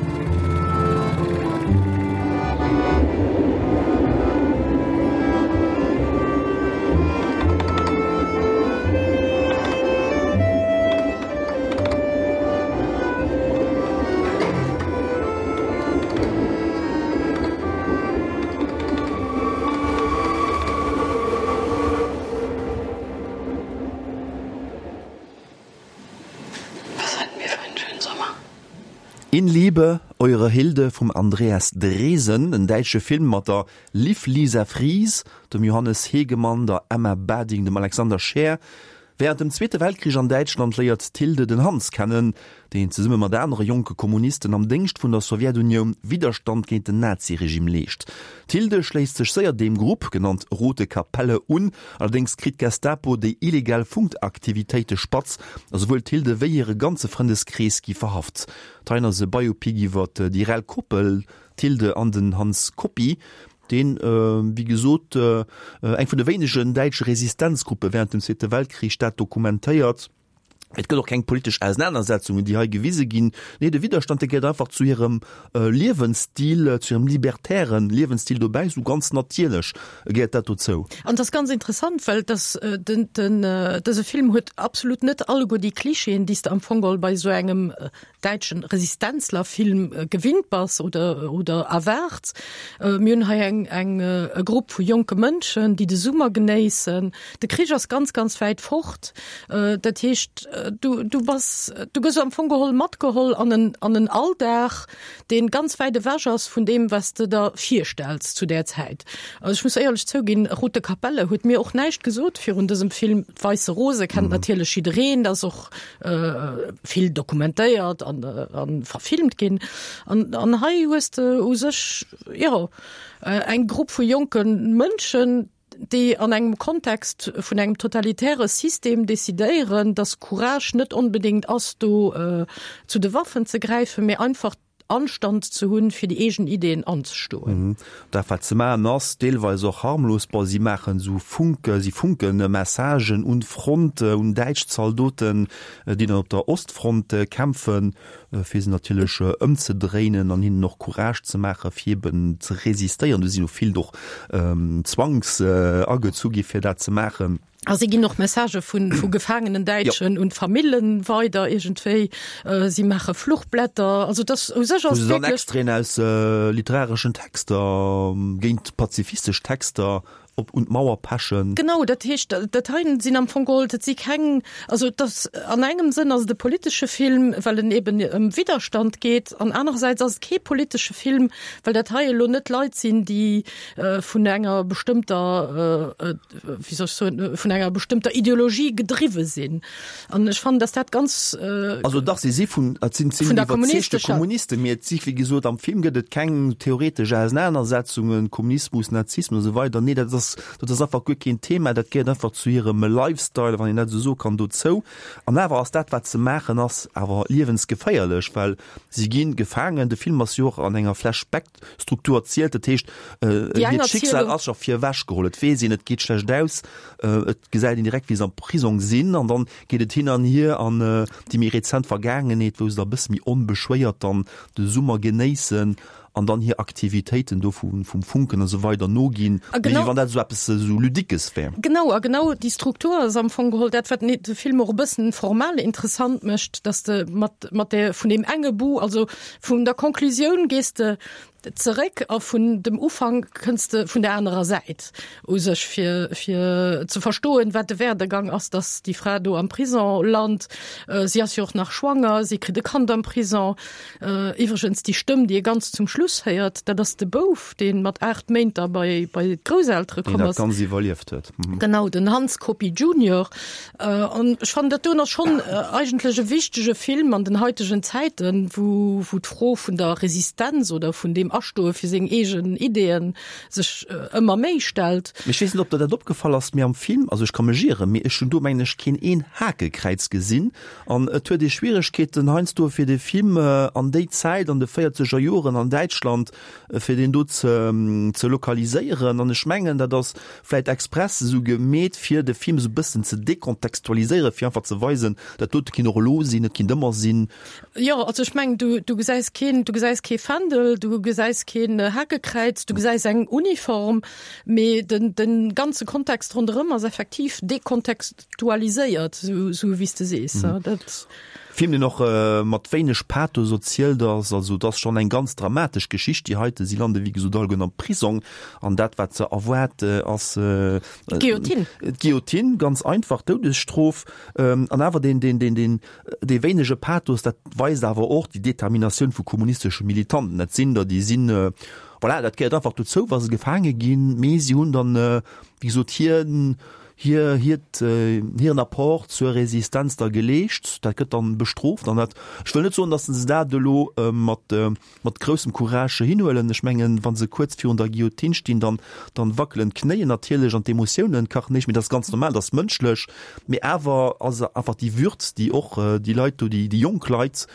Was hatten wir für einen schönen Sommer? In Liebe, eure Hilde vum Andreas Dresen, en däitsche Film mat der Liv Lisa Fries, dem Johannes Hegemann, der Emma Bading, dem Alexander Scheer. Wärend dem Zweete Weltkrich an Däitschland léiert d'Hilde den Hans kennen, deen zesumme mat anere jonke Kommunisten am Déngscht vun der Sowjetunioun Widderstand géint den Naziregime leescht. D'Hilde schléisst sech séier deem Grupp, genannt Rote Kapelle, un. Allerdéngs kritt d'Gestapo déi illegal Funkaktivitéite spatz a souwuel d'Hilde wéi hire ganze Frëndeskrees gi verhaft. D'Hein ass e Biopic iwwer déi rell Koppel, d'Hilde an den Hans Coppi, deen, wéi gesot, eng vun de wéinegen däitsche Resistenzgruppe wärend dem Zweete Weltkrich dat dokumentéiert. Et gëtt och keng politesch Ausenanersetzungen, déi hei gewise ginn. Nee, de Widderstand, dee gehéiert einfach zu hirem Liewensstil, zu hirem libertäre Liewensstil dobäi, esou ganz natierlech gehéiert dat dozou. An et ass ganz interessant, well dass den, den, dëse Film huet absolut net alleguer déi Klischeeën, déi s de am Fong geholl bei esou engem däitschen Resistenzlerfilm gewinnt bass oder, oder erwaarts. Mir hunn hei eng, eng, e Grupp vu jonke Mënschen, déi de Summer genéissen. De Krich ass ganz, ganz wäit fort. Dat heescht, du, du bass, du gëss am Fong geholl matgeholl an en, an en Alldag, dee ganz wäit ewech ass vun deem, wat s de der virstells zu där Zäit. Also ech muss éierlech zouginn, Rote Kapelle huet mir och näischt gesot virun dësem Film. D'Weisse Rose kennt natierlech jiddereen, dat ass och vill dokumentéiert an, an verfilmt ginn. An, an hei hues de u sech jo eng Grupp vu jonke Mënschen, déi an engem Kontext vun engem totalitäre System decidéieren, dass Courage net onbedéngt ass, do zu de Waffen ze gräifen, mee einfach Anstand ze hunn, fir déi eegen Ideen anzestoen. Dat wat se maachen ass deelweis och harmlos. Bon, si maachen esou Funke, si funke Messagen un d'Front, un däitsch Zaldoten, déi dann op der Ostfront kämpfen, fir se natierlech ëmzedréinen an hinnen och Courage ze maachen, fir eben ze resistéieren. Do sinn och vill och zwangs agezu gi fir dat ze maachen. A si ginn och Messagë vu vu gefaangenen Däitschen un d'Famillen weider iergendwéi. Si maache Fluchblätter. Also dass u sech ass wierklech. Wou se dann Extraiten aus literareschen Texter, géint pazifistesch Texter op un d'Mauer pechen. Genau, dat heescht, dat hei sinn am Fong geholl, dat si keng, also et ass an engem Sënn ass et e politesche Film, well en eben ëm Widderstand geet, an anerersäits ass et kee politesche Film, well dat hei elo net Leit sinn, déi vun enger bestëmmter, wéi soll ech soen, vun enger bestëmmter Ideologie gedriwwe sinn. An ech fannen, dass dat ganz. Also dach, si si vun, et sinn, sinn iwwerzeegte Kommunisten, mee et si wéi gesot, am Film gëtt et keng theoretesch Ausenanersetzungen, Kommunismus, Nazismus a sou weider. Nee, dat ass, dat ass einfach guer keen Thema, dat gehéiert einfach zu hirem Lifestyle, wann een dat esou soe kann, dozou. An awer ass dat, wat se maachen, ass awer liewensgeféierlech, well si gi gefaangen. De Film ass jo och an enger Flashback Struktur erzielt, dat heescht hiert Schicksal ass scho virewech geholl, et weess een, et geet schlecht aus, et gesäit een direkt wéi se am Prisong sinn an dann geet et hin an hier an déi méi rezent Vergaangenheet, wou se da e bësse méi onbeschwéiert dann de Summer genéissen an dann hir Aktivitéiten do vum Funken a sou weider noginn, wéi wann dat esou eppes esou Ludiques wär. Genau, a genau déi Struktur ass am Fong geholl dat, wat de Film och e bëssen formal interessant mécht, dass de mat mat där vun deem enge Bout, also Vun der Conclusioun gees de. Zeréck a vun dem Ufank kënns de vun der anerer Säit u sech fir fir ze verstoen, wat de Werdegang ass, datt déi Fra do am Prison lant. Si ass jo och nach schwanger, si kritt e Kand am Prison. Iwwregens déi Stëmm, déi ee ganz zum Schluss héiert, dat ass de Bouf, dee mat 8 Méint da bei bei d'Grousseltere komm Deen dat ass. Ganzt iwwerlieft huet. Genau, den Hans Coppi Junior. An ech fannen, dat doen ass schonn eigentlech e wichtege Film an den haitegen Zäiten, wou wou d'Fro vun der Resistenz oder vun deem Astoe fir seng eegen Ideeën sech ëmmer méi stellt. Mee ech weess net, ob der dat opgefall ass, mee am Film, also ech ka mech ieren, mee ech hunn do, mengen ech, keen een Hakekräiz gesinn. An et huet ee Schwieregkeeten heiansdo fir de Film an déi Zäit, an de véierzeger Joren an Däitschland, fir deen do ze ze lokaliséieren. An ech mengen, dat ass vläit express esou gemeet, fir de Film esou e bëssen ze dekontextualiséieren, fir einfach ze weisen, dat dote kinnt och elo sinn, et kinnt ëmmer sinn. Jo, also ech mengen, du, du gesäis keen, du gesäis kee Fändel, du gesäis keen Hakekräiz, du gesäis eng Uniform, mee den, den ganze Kontext ronderëm ass effektiv dekontextualiséiert, esou, esou wéi s de sees. Dat. Film, deen och mat wéineg Pathos erzielt ass. Also et ass schonn eng ganz dramatesch Geschicht, déi heite. Si lande wéi gesot allegueren am Prisong an dat wat se erwaart ass d'Guillotine. D'Guillotine, ganz einfach, d'Doudesstrof. An awer deen, deen, deen, deen, dee wéinege Pathos, dat weist awer och déi Determinatioun vu kommunistesche Militanten. Dat sinn der, déi sinn, voilà, dat gehéiert einfach dozou, wa se gefaange ginn, mee si hunn dann, wéi gesot, hir, hir, hiert, hiren Apport zur Resistenz da geleescht. Dat gëtt dann bestrooft an dat, ech wëll net soen, datt se dat elo mat, mat groussem Courage hinhuelen. Ech mengen, wa se kuerz virun der Guillotine stinn, dann, dann wackelen d'Knéien natierlech an d'Emotiounen kachen héich, mee dat ass ganz normal, dat ass mënschlech. Mee awer ass einfach déi Würz, déi och déi Leit do, déi, déi jonk Leit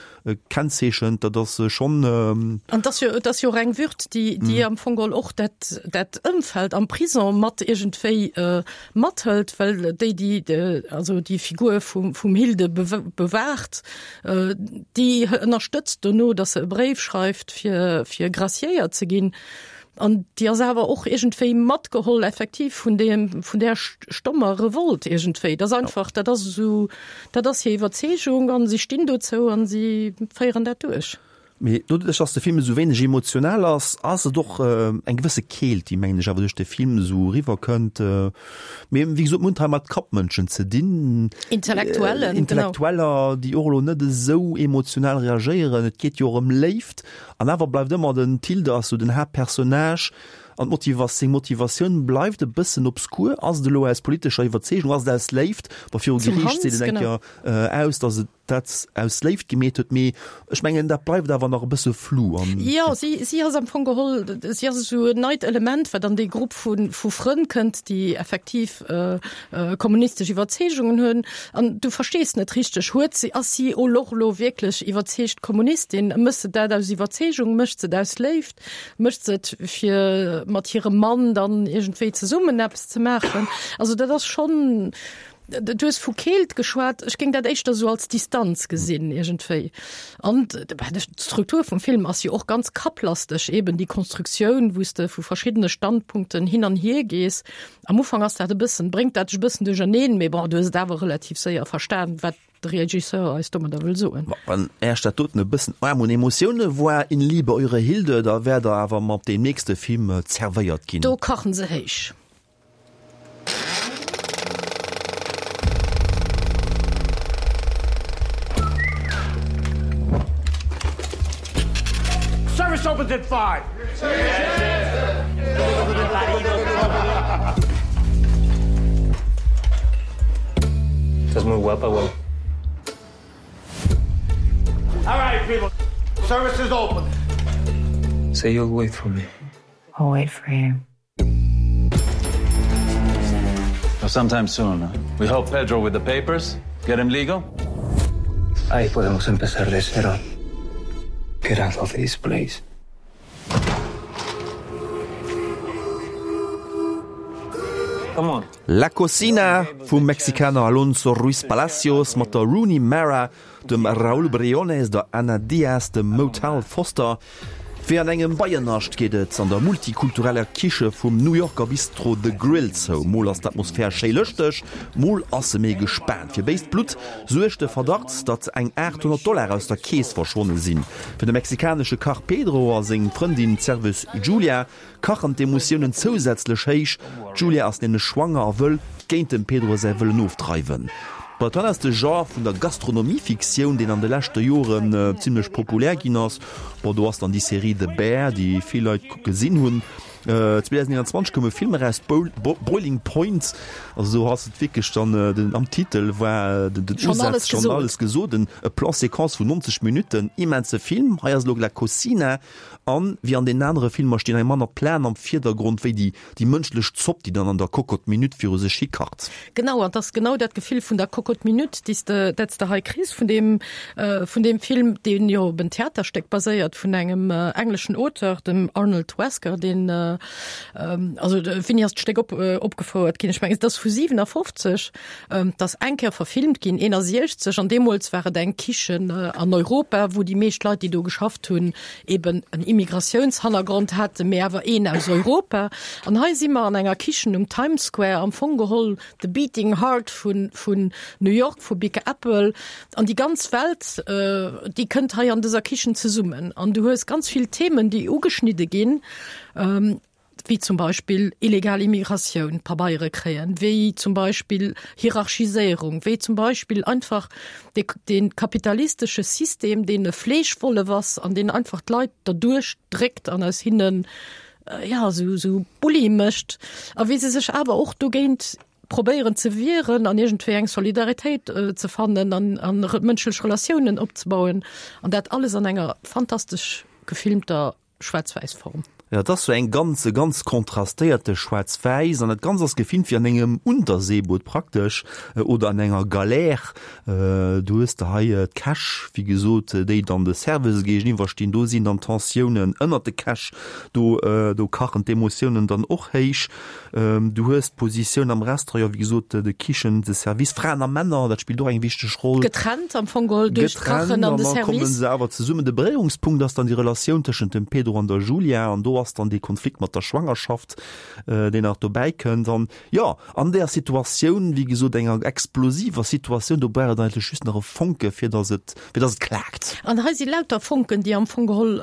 kennzeechent, dat ass schonn. An et ass jo, et ass jo och eng Würd, déi, déi am Fong geholl och dat, dat Ëmfeld am Prison mat iergendwéi mathëlt, well déi, déi, also déi Figur vum, vum Hilde bewaacht, déi ënnerstëtzt dono, datt se e Bréif schreift, fir, fir graciéiert ze ginn. An déi ass awer och iergendwéi matgeholl effektiv vun deem, vun där stommer Revolt iergendwéi. Dat ass einfach, dat ass esou, dat ass hir Iwwerzeegung an si stinn dozou an si féieren dat duerch. Mee doduerch, dass de Film esou wéineg emotional ass, ass et och eng gewësse Keelt, déi, mengen ech, awer duerch de Film esou eriwwer kënnt. Mee wéi gesot, mir hunn et hei mat Kappmënschen ze dinn. Intellektuellen, genau. Intellektueller, déi och elo net esou emotional reagéieren. Et geet jo och ëm Léift. An awer bleift ëmmer den Tilde ass sou den Haaptpersonnage an d'Motivas seng Motivatioun bleift e bëssen obskur. Ass et elo aus politescher Iwwerzeegung, ass et aus Léift? Bon, viru Zum Geriicht Hans, seet en eng genau. Kéier aus, datt et dat aus Léift gemeet huet, mee ech mengen, dat bleift awer nach e bësse flou an. Jo, si, si ass am Fong geholl, si ass esou en neit Element, wat an dee Grupp vu, vu Frënn kënnt, déi effektiv kommunistesch Iwwerzeegungen hunn an du verstees net richteg, huet si, ass si elo och elo wierklech iwwerzeegt Kommunistin, mécht se dat aus Iwwerzeegung, mécht se et aus Léift, mécht se et fir mat hirem Mann dann iergendwéi zesummen eppes ze maachen? Also dat ass schonn, du hues vu Keelt geschwat, ech géing dat éischter esou als Distanz gesinn iergendwéi. An d'Struktur vum Film ass jo och ganz kapplasteg, eben déi Konstruktioun, wou s de vu verschiddene Standpunkten hin an hier gees. Am Ufank ass dat e bëssen, bréngt dat dech e bëssen duercherneen, mee bon, du hues et awer relativ séier verstan, wat de Regisseur eis domadder wëll soen. Bon, wann Äech dat doten e bëssen aarm un Emotioune war, In Liebe, eure Hilde, da wäert Der awer mat deem nächste Film zerwéiert ginn. Do kachen se héich. Service opens at 5. Estás muy guapa, güey. All right, people. Service is open. Say you'll wait for me. I'll wait for you. Well, sometime soon. Huh? We help Pedro with the papers, get him legal. Ahí podemos empezar de cero. Get out of this place. Come on. La Cocina vum Mexikaner Alonso Ruiz Palacios mat der Rooney Mara, dem Raúl Briones, der Ana Diaz, dem Motel Foster. Wéi an engem Beiennascht geet et an der multikultureller Kiche vum New Yorker Bistro The Grill zou. Mol ass d'Atmosphär schéi lëschteg, mol ass se méi gespaant. Fir béist Blutt suergt de Verdacht, datt eng 800 Dollar aus der Keess verschwonne sinn. Fir de mexikanesche Kach Pedro a seng Frëndin, d'Serveuse Julia, kachen d'Emotiounen zousätzlech héich. D'Julia ass nämlech schwanger a wëll géint dem Pedro säi Wëllen ofdreiwen. Bon, dat ass de Genre vun der Gastronomie-Fiktioun, deen an de leschte Joren zimmlech populär ginn ass. Bon, do ass dann déi Serie The Bear, déi vill Leit gesinn hunn. 2021 koum e Film eraus, Boiling Point. Also do ass et wierklech dann, den am Titel war den Usaz schonn alles gesot. E Plan-séquence vun 90 Minutten, immense Film. Hei ass elo La Cocina. An wéi an deenen anere Filmer stinn hei manner d'Planen am Virdergrond wéi déi déi mënschlech Zopp, déi dann an der Cocotte Minute viru sech hikacht. Genau, an 't ass genau dat Gefill vun der Cocotte Minute, déi s de, dat s de hei kriss vun deem, vun deem Film, deen jo op en Theaterstéck baséiert vun engem engleschen Auteur, dem Arnold Wesker, deen, also wéini ass d'Stéck op, opgefouert ginn? Ech mengen, et ass vu 57. 't ass eng Kéier verfilmt ginn, 61, an deemools war et eng Kichen an Europa, wou déi meescht Leit, déi do geschafft hunn, eben en Immigratiounshannergrond haten, mee awer een aus Europa. An hei si mer an enger Kichen um Times Square, am Fong geholl the beating heart vun, vun New York, vu Big Apple. An déi ganz Welt, déi kënnt hei an dëser Kichen zesummen. An du hues ganz vill Themen, déi ugeschnidde ginn. Wéi zum Beispill illegal Immigratioun, Pabeiere kréien, wéi zum Beispill Hierarchiséierung, wéi zum Beispill einfach de, de kapitalistesche System, deen e Fleeschwollef ass an deen einfach d'Leit derduerch dréckt an aus hinnen, ja, esou, esou Bulli mécht a wéi se sech awer och dogéint probéieren ze wieren an iergendwéi eng Solidaritéit ze fannen an, an mënschlech Relatiounen opzebauen an dat alles an enger fantastesch gefilmter schwaarz-wäiss Form. Jo, et ass sou eng ganz, ganz kontrastéierte schwaarz-wäiss an dat Ganzt ass gefilmt wéi an engem Unterseeboot praktesch oder an enger Galère. Du hues de hei d'Käch, wéi gesot, déi dann de Serveuse géigeniwwer stinn. Do sinn dann d'Tensiounen ënnert de Käch, do, do kachen d'Emotiounen dann och héich. Du hues d'Positioun am Restaurant, jo wéi gesot, de Kichen, de Service, Fraen a Männer, dat spillt och eng wichteg Roll. Getrennt am Fong geholl duerch d'Kachen an de Service. Getrennt an da komme se awer zesummen. De Beréierungspunkt ass dann déi Relatioun tëschent dem Pedro an der Julia an do ass dann dee Konflikt mat der Schwangerschaft, deen nach dobäi kënnt. An jo, an där Situatioun, wéi gesot, enger explosiver Situatioun, do brauch et eigentlech just nach e Fonke fir datt et fir dass et klaakt. An hei si lauter Fonken, déi am Fong geholl,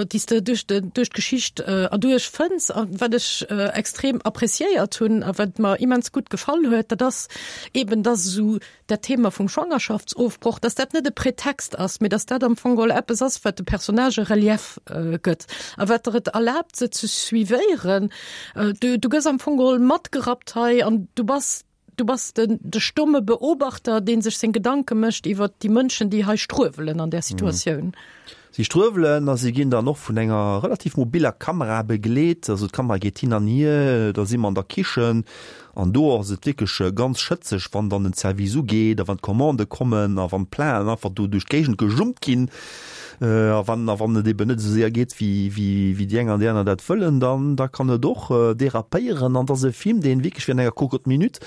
déi s de duerch de, duerch d'Geschicht erduerch fënns. A wat ech extrem appréciéiert hunn a wat mer immens gutt gefall huet, dat ass eben, dass esou dat Thema vum Schwangerschaftsofbroch, dass dat net e Pretext ass, mee dass dat am Fong geholl eppes ass, wat de Personnagë Relief gëtt a wat der et erlaabt, se ze suivéieren. Du, du gëss am Fong geholl matgerappt hei an du bass, Du bass den, de stomme Beobachter, dee sech seng Gedanke mécht iwwer déi Mënschen, déi hei struewelen an där Situatioun. Si struewelen a si ginn dann och vun enger relativ mobiller Kamera begleet. Also d'Kamera geet hin an hier, da si mer an der Kichen an do ass et wierklech ganz schëtzeg, wann dann den Service ugeet a wann d'Commandë kommen a wann d'Platen einfach do duerch d'Géigend gejummt ginn a wann a wann et eben net esou séier geet, wéi wéi wéi déi eng an déi aner dat wëllen, dann da kann et och derapéieren an et ass e Film, deen wierklech wéi an enger Cocotte Minute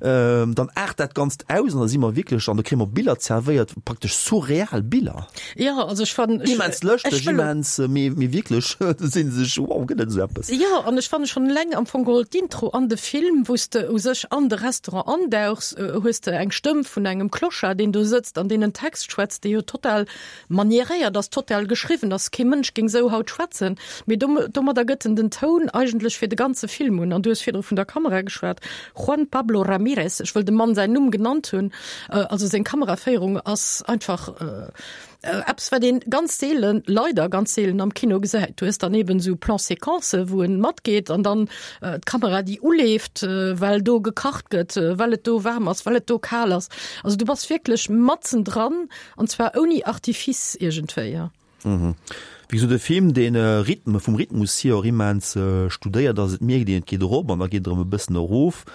dann aart dat Ganzt aus an da si mer wierklech an do kréie mer Biller zerwéiert, praktesch surreal Biller. Jo, also ech fannen, ech, Immens lëschteg, ech wëll, immens, mee mee wierklech si sech, wow, gëtt et esou eppes? Jo, an ech fanne schonn eleng am Fong geholl d'Intro an de Film, wou s de u sech an de Restaurant andauchs, hues de eng Stëmm vun engem Clochard, deen do sëtzt an deen en Text schwätzt, dee jo total Manieréiert ass, total geschriwwen ass, kee Mënsch géing sou haut schwätzen, mee domadder gëtt en den Toun eigentlech fir de ganze Film un. An du hues virdru vun der Kamera geschwat, Juan Pablo Ramirez, ech wëll dem Mann säin Numm genannt hunn, also seng Kameraféierung ass einfach eppes, wat ee ganz seelen, leider ganz seelen am Kino gesäit. Du hues dann eben esou Plan-séquencen, wou en matgeet an dann d'Kamera, déi uleeft, well do gekacht gëtt, well et do waarm ass, well et do kal ass. Also du bass wierklech matzen dran An zwar ouni Artifice iergendwéi, ja. Mhm. Wéi gesot, e Film, deen Rhythme, vum Rhythmus hier och immens studéiert ass. Et mierkt een, et geet erop an da geet et erëm e bëssen erof,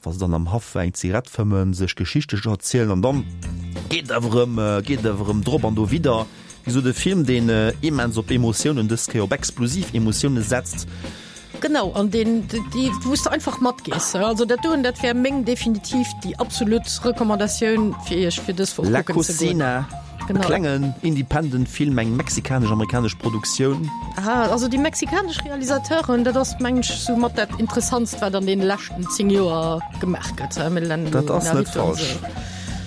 wa se dann am Haff eng Zigarett fëmmen, sech Geschichte erzielen an dann geet et awer erëm, geet et awer erëm drop an dowidder. Wéi gesot, e Film, deen immens op Emotiounen, dës Kéier op explosiv Emotiounen setzt. Genau, an deen, déi, wou s de einfach matgees. Also dat doen, dat wär meng definitiv déi absolut Recommandatioun fir iech fir dës Woch La kucken ze goen. Cocina. Genau. E klengen Independent Film, eng mexikanesch-amerikanesch Produktioun. Ah, also déi mexikanesch Realisateuren, dat ass mengen ech sou mat dat interessantst wat an deene leschten 10 Joer gemaach gëtt. Dat ass net falsch.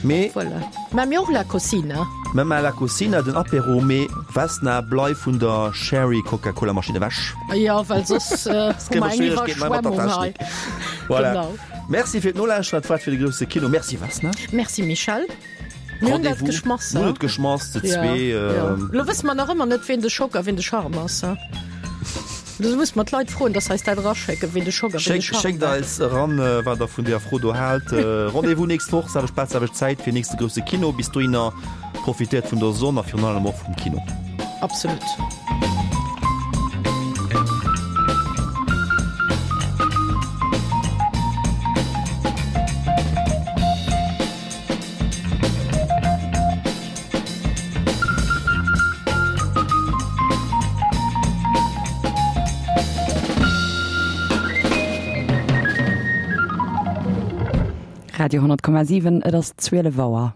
Mee voilà. Mä mir och La Cocina. Mä mä La Cocina, den Apéro, mee Vesna, bleif vun der Sherry Coca-Cola Maschinn ewech. Jo, well soss hu mer eng Iwwerschwemmung hei. Voilà. Genau. Merci fir d'Nolauschteren, dat war et fir de grousse Kino. Merci Vesna. Merci Michel. Mir hunn dat geschmass. Mir hunn et geschmass, ze zwee. Lo wësse mer nach ëmmer net, ween de Schock a ween de Charme ass. Do musse mer d'Leit froen, dass se eis dat eraschécken, ween de Schock a ween de Charme Schéckt eis eran, wat der vun deeër Fro do haalt. Rendez-vous nächst Woch, selwecht Plaz, selwecht Zäit fir nächste grousse Kino. Bis dohinner profitéiert vun der Sonn a virun allem och vum Kino. Absolut. Radio 10,7 Et ass 12 Auer.